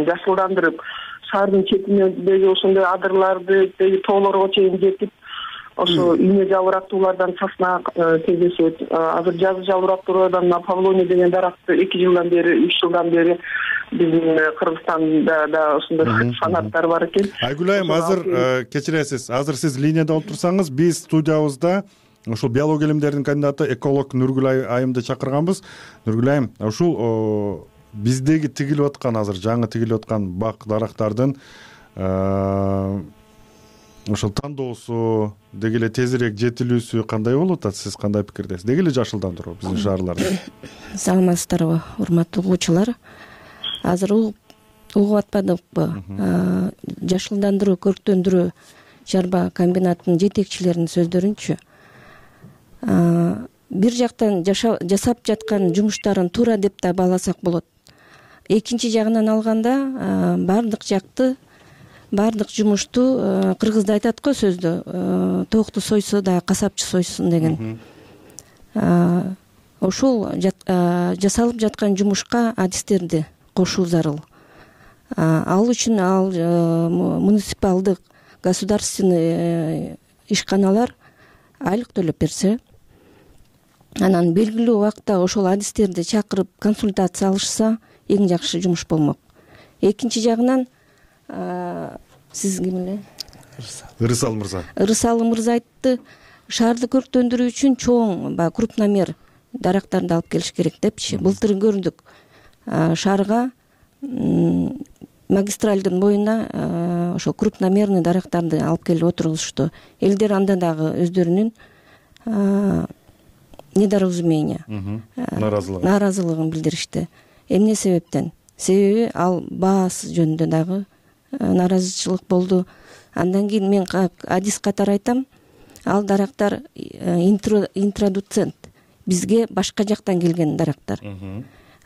жашылдандырып, шаардын четиндеги ошондой адырларды деги тоолорго чейин жетип, ошо ийне жалбырактуулардан сасна кездешет. Азыр жазы жалбырактуулардан Павлония деген даракты эки жылдан бери, үч жылдан бери биздин Кыргызстанда да ошондой фанаттар бар экен. Айгүл айым, азыр кечиресиз, азыр сиз линияда болуп турсаңыз, биз студиябызда ушул биология илимдеринин кандидаты эколог Нургүл айымды чакырганбыз. Нургүл айым, ушул биздеги тигилип аткан, азыр жаңы тигилип аткан бак дарактардын ошол тандоосу, деги эле тезирээк жетилүүсү кандай болуп атат? Сиз кандай пикирдесиз? Деги эле жашылдандыруу биздин шаарларда. Саламатсыздарбы, урматтуу угуучулар? Азыр угуп атпадыкпы? Жашылдандыруу, көрктөндүрүү чарба комбинатынын жетекчилеринин сөздөрүнчү, бир жактан жасап жаткан жумуштарын туура деп да бааласак болот. Экинчи жагынан алганда баардык жакты баардык жумушту кыргызда айтат го сөздө тоокту сойсо да касапчы сойсун деген. Ошол жасалып жаткан жумушка адистерди кошуу зарыл. Ал үчүн ал муниципалдык государственный ишканалар айлык төлөп берсе, анан белгилүү убакта ошол адистерди чакырып консультация алышса эң жакшы жумуш болмок. Экинчи жагынан сиз ким эле? Ырысалы мырза. Ырысалы мырза айтты, шаарды көрктөндүрүү үчүн чоң баягы крупномер дарактарды алып келиш керек депчи. Былтыр көрдүк. Шаарга магистралдын боюна ошол крупномерный дарактарды алып келип отургузушту. Элдер анда дагы өздөрүнүн недоразумение, нааразылыгын билдиришти. Эмне себептен? Себеби ал баасы жөнүндө дагы нааразычылык болду. Андан кийин мен адис катары айтам, ал дарактар интродуцент, бизге башка жактан келген дарактар.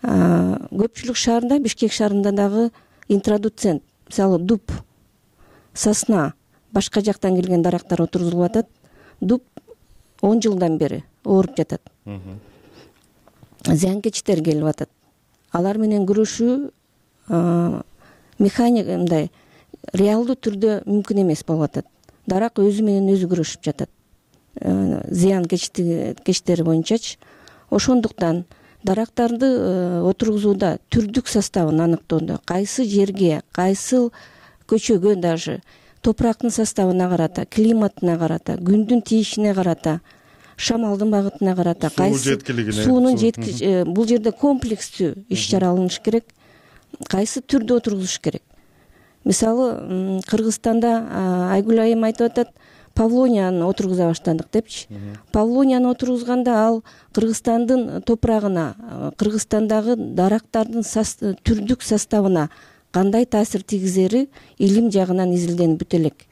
Көпчүлүк шаарында, Бишкек шаарында дагы интродуцент, мисалы дуб, сосна, башка жактан келген дарактар отургузулуп атат. Дуб он жылдан бери ооруп жатат. Зыянкечтер келип атат. Алар менен күрөшүү механик мындай реалдуу түрдө мүмкүн эмес болуп атат. Дарак өзү менен өзү күрөшүп жатат. Зыянкечтери боюнчачы. Ошондуктан дарактарды отургузууда түрдүк составын аныктоодо, кайсы жерге, кайсы көчөгө, даже топурактын составына карата, климатына карата, күндүн тийишине карата, шамалдын багытына карата, кайсы суунун жеткич, бул жерде комплекстүү иш чара алыныш керек. Кайсы түрдө отургузуш керек. Мисалы, Кыргызстанда Айгүл айым айтып атат, павлонияны отургуза баштадык депчи. Павлонияны отургузганда ал Кыргызстандын топурагына, Кыргызстандагы дарактардын түрдүк составына кандай таасир тийгизери илим жагынан изилденип бүтө элек.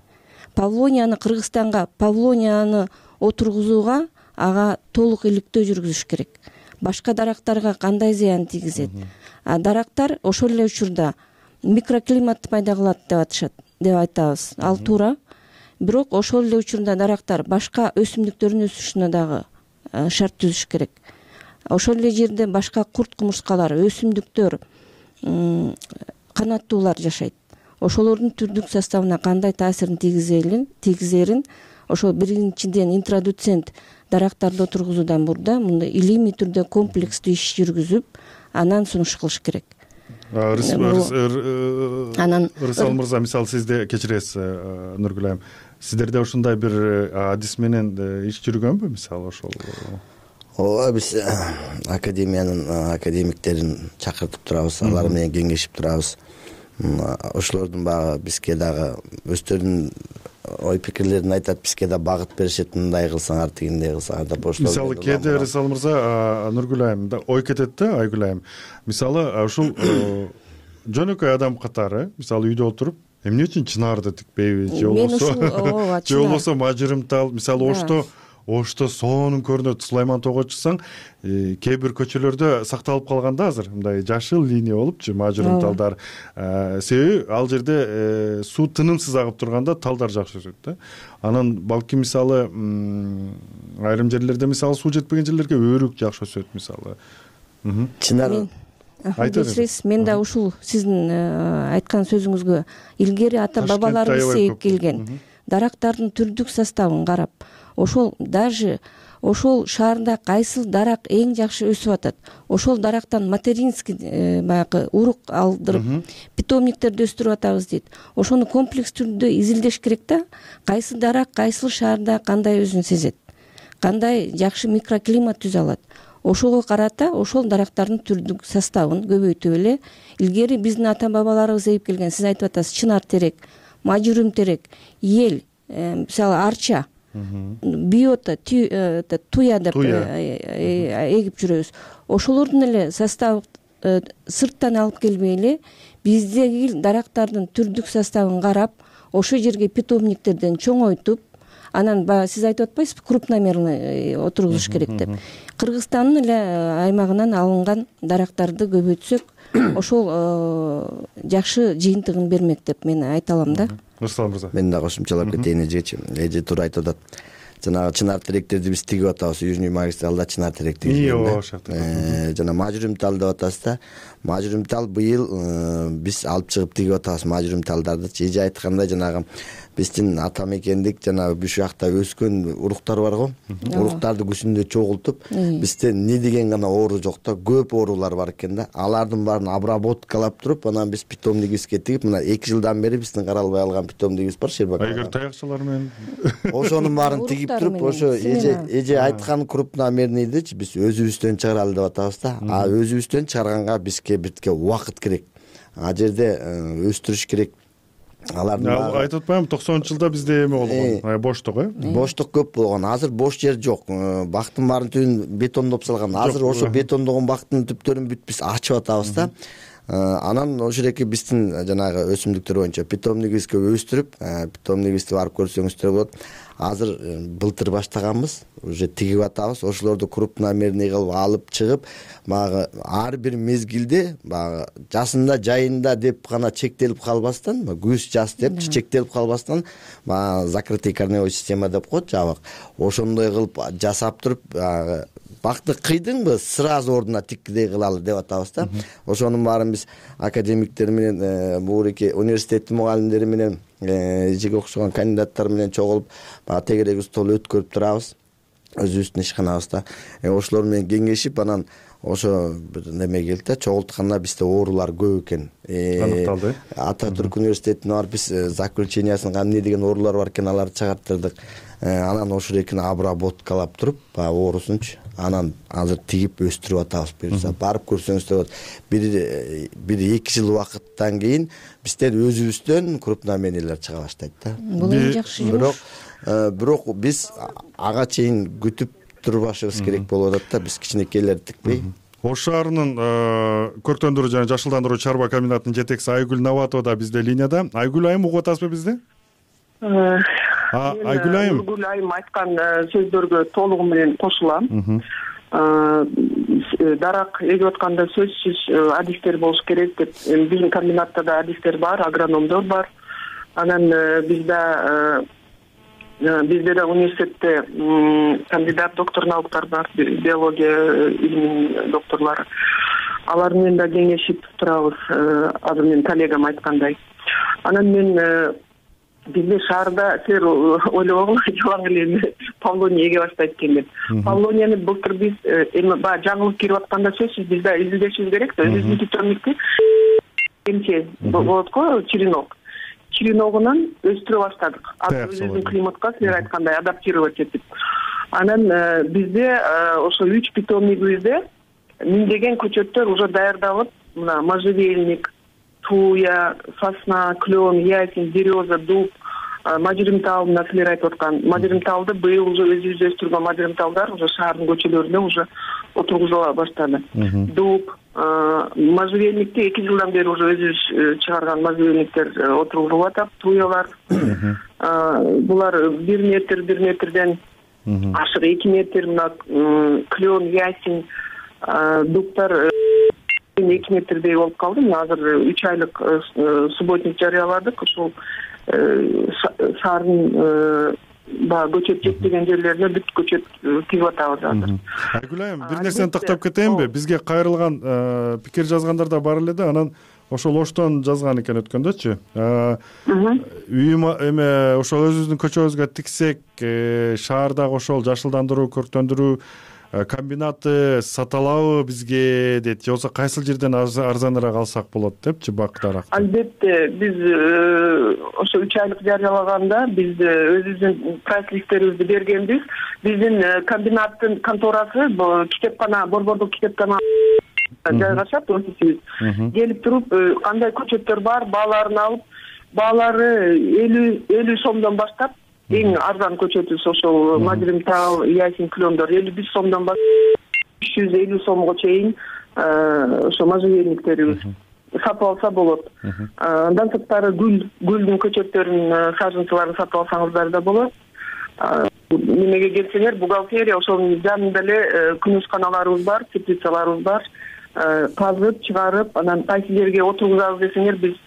Павлонияны Кыргызстанга, павлонияны отургузууга ага толук иликтөө жүргүзүш керек. Башка дарактарга кандай зыян тийгизет? А дарактар ошол эле учурда микроклиматты пайда кылат деп атышат, деп айтабыз. Ал туура. Бирок ошол эле учурда дарактар башка өсүмдүктөрдүн өсүшүнө дагы шарт түзүш керек. Ошол эле жерде башка курт кумурскалар, өсүмдүктөр, канаттуулар жашайт. Ошолордун түрдүк составына кандай таасирин тийгизерин ошол биринчиден интродуцент дарактарды отургузуудан мурда мындай илимий түрдө комплекстүү иш жүргүзүп, анан сунуш кылыш керек. Ырысалы мырза, мисалы сизде, кечиресиз Нургүл айым, сиздерде ушундай бир адис менен иш жүргөнбү, мисалы ошол? Ооба, биз академиянын академиктерин чакыртып турабыз, алар менен кеңешип турабыз. Ошолордун багы бизге дагы өздөрүнүн ой пикирлерин айтат, бизге да багыт беришет, мындай кылсаңар, тигиндей кылсаңар деп. Мисалы кээде Ырысалы мырза, Нургүл айым ой кетет да, Айгүл айым. Мисалы ушул жөнөкөй адам катары, мисалы үйдө отуруп, эмне үчүн чынарды тикпейби, же болбосо же болбосо мажырымтал, мисалы Ошто Ошто сонун көрүнөт, Сулайман тоого чыксаң, кээ бир көчөлөрдө сакталып калган да азыр, мындай жашыл линия болупчу, мажырымталдар. Себеби ал жерде суу тынымсыз агып турганда талдар жакшы өсөт да. Анан балки мисалы айрым жерлерде мисалы суу жетпеген жерлерге өрүк жакшы өсөт мисалы. Чынар кечиресиз, мен да ушул сиздин айткан сөзүңүзгө илгери ата бабаларыбыз сейип келген дарактардын түрдүк составын карап, ошол даже ошол шаарда кайсыл дарак эң жакшы өсүп атат, ошол дарактан материнский баягы урук алдырып питомниктерди өстүрүп атабыз дейт. Ошону комплекс түрдө изилдеш керек да, кайсы дарак кайсыл шаарда кандай өзүн сезет, кандай жакшы микроклимат түзө алат. Ошого карата ошол дарактардын түрдүк составын көбөйтүп эле, илгери биздин ата бабаларыбыз эйип келген, сиз айтып атасыз, чынар терек, мажүрүм терек, ел, мисалы арча, биота, туя деп эгип жүрөбүз. Ошолордун эле состав сырттан алып келбей эле, биздеги дарактардын түрдүк составын карап, ошол жерге питомниктерден чоңойтуп, анан баягы сиз айтып атпайсызбы крупномерный отургузуш керек деп. Кыргызстандын эле аймагынан алынган дарактарды көбөйтсөк ошол жакшы жыйынтыгын бермек деп мен айта алам да. Нурсултан мырза, мен да кошумчалап кетейин эжечи. Эже туура айтып атат. Жанагы чынар теректерди биз тигип атабыз. Южный магистралда чынар терек тигилген. Жана мажрумтал деп атасыз да. Мажрумтал быйыл биз алып чыгып тигип атабыз мажрумталдарды. Эже айткандай жанагы биздин ата мекендик жана буш жакта өскөн уруктар барго. Уруктарды күсүндө чогултуп, бизде не деген гана оору жок да, көп оорулар бар экен да. Алардын баарын обработкалап туруп, анан биз питомнигибизге тигип, мына эки жылдан бери биздин каралбай алган питомнигибиз бар, Шербак. Айгер таякчылар менен ошонун баарын тигип туруп, ошо эже эже айткан крупномерныйдычы биз өзүбүздөн чыгаралы деп атабыз да. А өзүбүздөн чыгарганга бизге битке убакыт керек. А жерде өстүрүш керек. Алардын айтып атпаймынбы, токсонунчу жылда бизде эме болгон, боштук э? Боштук көп болгон. Азыр бош жер жок. Бактын баарын түбүн бетондоп салган. Азыр ошо бетондогон бактын түптөрүн бүт биз ачып атабыз да. Анан ошол эки биздин жанагы өсүмдүктөр боюнча питомнигибизге өстүрүп, питомнигибизди барып көрсөңүздөр болот. Азыр былтыр баштаганбыз, уже тигип атабыз. Ошолорду крупномерный кылып алып чыгып, баягы ар бир мезгилде баягы жасында, жайында деп гана чектелип калбастан, күз жаз деп чектелип калбастан, баягы закрытый корневой система деп коет, жабык. Ошондой кылып жасап туруп, баягы бакты кыйдыңбы, сразу ордуна тиккидей кылалы деп атабыз да. Ошонун баарын биз академиктер менен, буреки университеттин мугалимдери менен, эжеге окшогон кандидаттар менен чогулуп, баягы тегерек стол өткөрүп турабыз. Өзүбүздүн ишканабызда. Ошолор менен кеңешип, анан ошо бир неме келди да, чогултканда бизде оорулар көп экен. Аныкталды. Ататүрк университетине барып биз заключениясын эмне деген оорулар бар экен, аларды чыгарттырдык. Анан ошол экини обработкалап туруп, баягы оорусунчу, анан азыр тигип өстүрүп атабыз. Буюрса барып көрсөңүздөр болот. Бир бир эки жыл убакыттан кийин биздер өзүбүздөн крупномерныйлар чыга баштайт да. Бул эң жакшы жумуш. Бирок биз ага чейин күтүп турбашыбыз керек болуп атат да, биз кичинекейлерди тикпей. Ош шаарынын көрктөндүрүү жана жашылдандыруу чарба комбинатынын жетекчиси Айгүл Наватова да бизде линияда. Айгүл айым, угуп атасызбы бизди? Айгүл айым. Айгүл айым айткан сөздөргө толугу менен кошулам. Дарак эгип атканда сөзсүз адистер болуш керек деп, биздин комбинатта да адистер бар, агрономдор бар. Анан бизде бизде да университетте кандидат доктор науктар бар, биология илиминин докторлору. Алар менен да кеңешип турабыз, азыр менин коллегам айткандай. Анан мен бизде шаарда силер ойлобогула, жалаң эле павлония эге баштайт экен деп. Павлонияны былтыр биз эми баягы жаңылык кирип атканда сөзсүз биз да изилдешибиз керек да. Өзүбүздүн питомникти эмче болот го, черенок. Череногунан өстүрө баштадык. Азыр өзүбүздүн климатка силер айткандай адаптировать этип. Анан бизде ошо үч питомнигибизде миңдеген көчөттөр уже даярдалып, мына можжевельник, туя, сосна, клен, ясень, береза, дуб, мажрымтал, мына силер айтып аткан мажрымталды быйыл уже өзүбүз өстүргөн мажрымталдар уже шаардын көчөлөрүнө уже отургузула баштады. Дуб, можжевельникти эки жылдан бери уже өзүбүз чыгарган можжевельниктер отургузулуп атат, туялар. Булар бир метр, бир метрден ашык эки метр, мына клен, ясень, дубтар эки метрдей болуп калды. Мына азыр үч айлык субботник жарыяладык. Ушул шаардын баягы көчөт жетпеген жерлерине бүт көчөт тигип атабыз азыр. Айгүл айым, бир нерсени тактап кетейинби? Бизге кайрылган пикир жазгандар да бар эле да, анан ошол Оштон жазган экен өткөндөчү. Үйүм эме ошол өзүбүздүн көчөбүзгө тиксек, шаардагы ошол жашылдандыруу, көрктөндүрүү комбинаты саталабы бизге дейт, же болбосо кайсыл жерден арзаныраак алсак болот депчи бак даракты. Албетте, биз ошо үч айлык жарыялаганда биз өзүбүздүн прайс листтерибизди бергенбиз. Биздин комбинаттын конторасы китепкана, борбордук китепкана жайгашат, офисибиз. Келип туруп, кандай көчөттөр бар, бааларын алып, баалары элүү сомдон баштап, эң арзан көчөтүбүз ошол мажрымтал, ясень, клендор элүү беш сомдон баштап үч жүз элүү сомго чейин ошо можжевельниктерибиз сатып алса болот. Андан сырткары гүл, гүлдүн көчөттөрүнүн сажынчыларын сатып алсаңыздар да болот. Немеге келсеңер, бухгалтерия ошонун жанында эле күнөшканаларыбыз бар, теплицаларыбыз бар. Казып, чыгарып, анан кайсы жерге отургузабыз десеңер, биз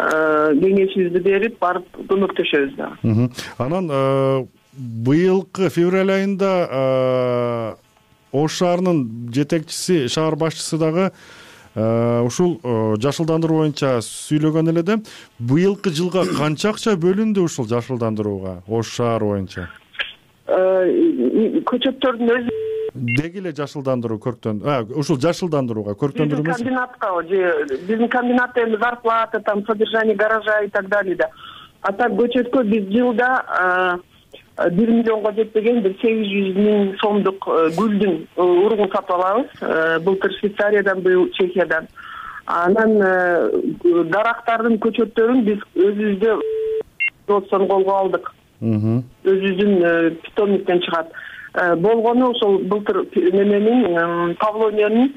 кеңешибизди берип, барып көмөктөшөбүз дагы. Анан быйылкы февраль айында Ош шаарынын жетекчиси, шаар башчысы дагы ушул жашылдандыруу боюнча сүйлөгөн эле да. Быйылкы жылга канча акча бөлүндү ушул жашылдандырууга Ош шаары боюнча? Көчөттөрдүн өзү деги эле жашылдандыруу көрктөн, ушул жашылдандырууга көрктөндүрүү эмес. Биздин комбинатка же биздин комбинатта эми зарплата, там содержание гаража и так далее да. А так көчөткө биз жылда бир миллионго жетпеген бир сегиз жүз миң сомдук гүлдүн урugун сатып алабыз. Былтыр Швейцариядан, быйыл Чехиядан. Анан дарактардын көчөттөрүн биз өзүбүздө производствону колго алдык. Өзүбүздүн питомниктен чыгат. Болгону ошол былтыр неменин Павлониянын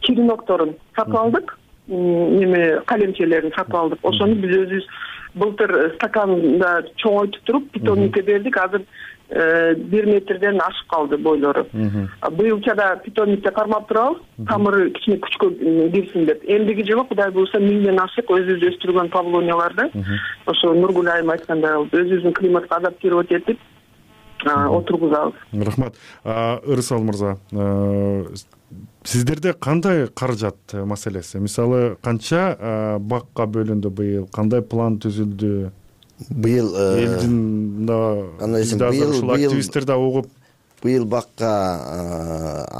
черенокторун сатып алдык. Неме калемчелерин сатып алдык. Ошону биз өзүбүз былтыр стаканда чоңойтуп туруп питомникке бердик. Азыр бир метрден ашып калды бойлору. Быйылчада питомникте кармап турабыз, тамыры кичине күчкө кирсин деп. Эмдиги жылы Кудай буюрса миңден ашык өзүбүз өстүргөн павлонияларды ошо Нургүл айым айткандай өзүбүздүн климатка адаптировать этип отургузабыз. Рахмат. Ырысал мырза, сиздерде кандай каражат маселеси? Мисалы, канча бакка бөлүндү быйыл? Кандай план түзүлдү? Быйыл элдин быйыл активисттер да угуп быйыл бакка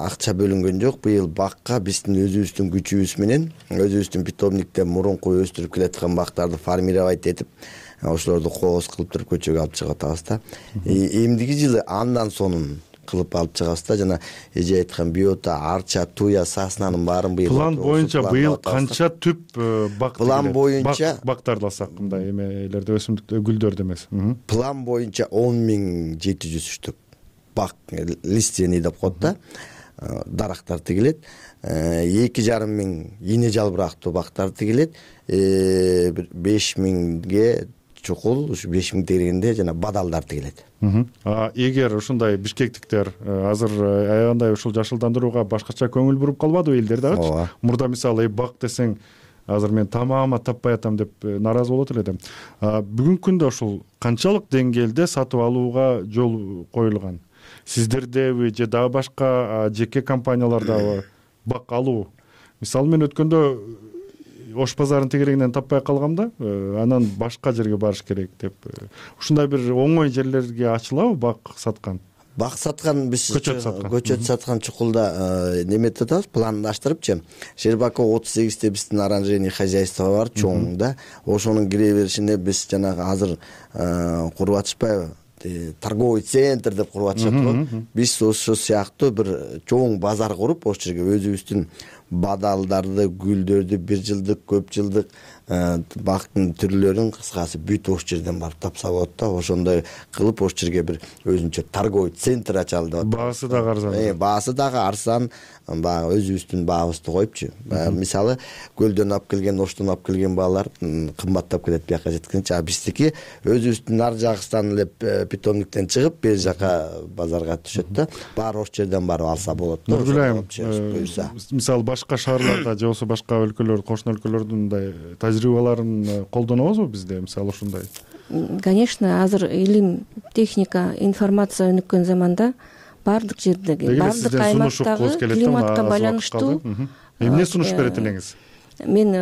акча бөлүнгөн жок. Быйыл бакка биздин өзүбүздүн күчүбүз менен өзүбүздүн питомникте мурунку өстүрүп келаткан бактарды формировать этип, ошолорду кооз кылып туруп көчөгө алып чыгып атабыз да. Эмдиги жылы андан сонун кылып алып чыгабыз да. Жана эже айткан биота, арча, туя, саснанын баарын быйыл план боюнча быйыл канча түп бак план боюнча бактарды алсак, мындай эмелерди, өсүмдүктөр, гүлдөрдү эмес. План боюнча он миң жети жүз түп бак лиственный деп коет да, дарактар тигилет. эки жарым миң ийне жалбырактуу бактар тигилет. беш миңге чукул, ушу беш миң тегерегинде жана бадалдар тигилет. Эгер ушундай бишкектиктер азыр аябандай ушул жашылдандырууга башкача көңүл буруп калбадыбы элдер дагычы? Мурда мисалы бак десең, азыр мен тамама таппай атам деп нааразы болот эле да. Бүгүнкү күндө ушул канчалык деңгээлде сатып алууга жол коюлган? Сиздердеби же дагы башка жеке компаниялардабы бак алуу? Мисалы мен өткөндө Ош базарынын тегерегинен таппай калгам да, анан башка жерге барыш керек деп. Ушундай бир оңой жерлерге ачылабы бак саткан? Бак саткан биз көчөт саткан. Көчөт саткан чукулда неметип атабыз, пландаштырыпчы. Щербаков отуз сегизде биздин оранжерный хозяйство бар, чоң да. Ошонун кире беришинде биз жанагы азыр куруп атышпайбы? Торговый центр деп куруп атышат го. Биз ошол сыяктуу бир чоң базар куруп, ошол жерге өзүбүздүн бадалдарды, гүлдөрдү, бир жылдык, көп жылдык бактын түрлөрүн кыскасы бүт ошол жерден барып тапса болот да. Ошондой кылып ошол жерге бир өзүнчө торговый центр ачалы деп. Баасы дагы арзан. Э, баасы дагы арзан. Баягы өзүбүздүн баабызды коюпчу. Мисалы, көлдөн алып келген, Оштон алып келген баалар кымбаттап келет бияка жеткенче. А биздики өзүбүздүн ар жагыстан эле питомниктен чыгып, бер жака базарга түшөт да. Баары ошол жерден барып алса болот да. Мисалы, башка шаарларда же болбосо башка өлкөлөр, кошуна өлкөлөрдүн мындай тажрыйбаларын колдонобузбу бизде, мисалы ушундай? Конечно, азыр илим, техника, информация өнүккөн заманда баардык жердеги, баардык аймактагы климатка байланыштуу эмне сунуш берет элеңиз? Мен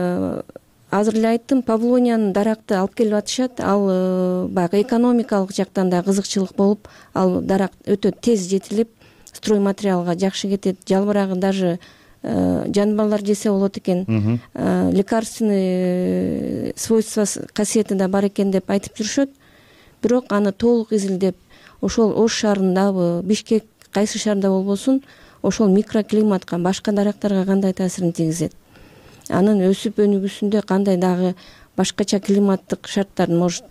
азыр эле айттым, Павлониянын даракты алып келип атышат. Ал баягы экономикалык жактан да кызыкчылык болуп, ал дарак өтө тез жетилип, стройматериалга жакшы кетет. Жалбырагы даже жаныбарлар жесе болот экен. Лекарственный свойства, касиети да бар экен деп айтып жүрүшөт. Бирок аны толук изилдеп, ошол Ош шаарындабы, Бишкек, кайсы шаарда болбосун, ошол микроклиматка, башка дарактарга кандай таасирин тийгизет, анын өсүп өнүгүүсүндө кандай дагы башкача климаттык шарттар, может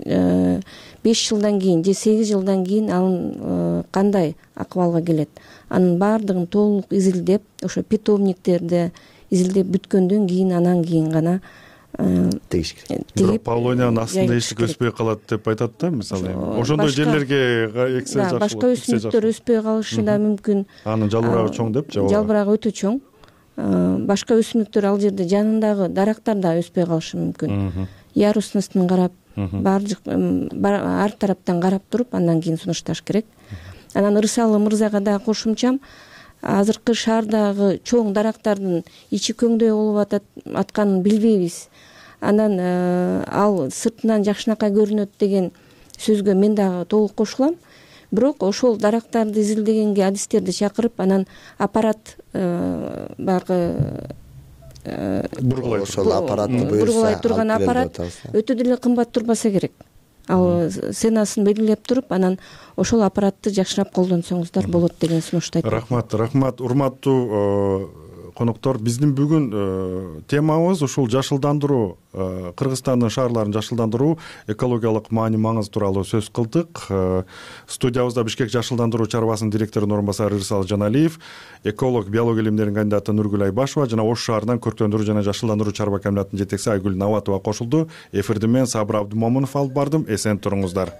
беш жылдан кийин же сегиз жылдан кийин анын кандай акыбалга келет, анын баардыгын толук изилдеп, ошо питомниктерди изилдеп бүткөндөн кийин анан кийин гана тегиш керек. Бирок полониянын астында эчтеке өспөй калат деп айтат да, мисалы эми ошондой жерлерге эксе жакшы болот. Башка өсүмдүктөр өспөй калышы да мүмкүн. Анын жалбырагы чоң деп же? Жалбырагы өтө чоң. Башка өсүмдүктөр ал жерде жанындагы дарактар да өспөй калышы мүмкүн. Ярусностун карап, ар тараптан карап туруп, андан кийин сунушташ керек. Анан Ырысалы мырзага дагы кошумчам, азыркы шаардагы чоң дарактардын ичи көңдөй болуп атканын билбейбиз. Анан ал сыртынан жакшынакай көрүнөт деген сөзгө мен дагы толук кошулам. Бирок ошол дарактарды изилдегенге адистерди чакырып, анан аппарат баягы бургулай ошол аппаратты бургулай турган аппарат өтө деле кымбат турбаса керек. Ал ценасын белгилеп туруп, анан ошол аппаратты жакшыраак колдонсоңуздар болот деген сунушту айтты. Рахмат, рахмат. Урматтуу коноктор, биздин бүгүн темабыз ушул жашылдандыруу, Кыргызстандын шаарларын жашылдандыруу, экологиялык маани маңыз тууралуу сөз кылдык. Студиябызда Бишкек жашылдандыруу чарбасынын директорунун орун басары Ырысалы Жаналиев, эколог, биология илимдеринин кандидаты Нургүл Айбашева жана Ош шаарынан көрктөндүрүү жана жашылдандыруу чарба комбинатынын жетекчиси Айгүл Наватова кошулду. Эфирди мен Сабыр Абдымомунов алып бардым. Эсен туруңуздар.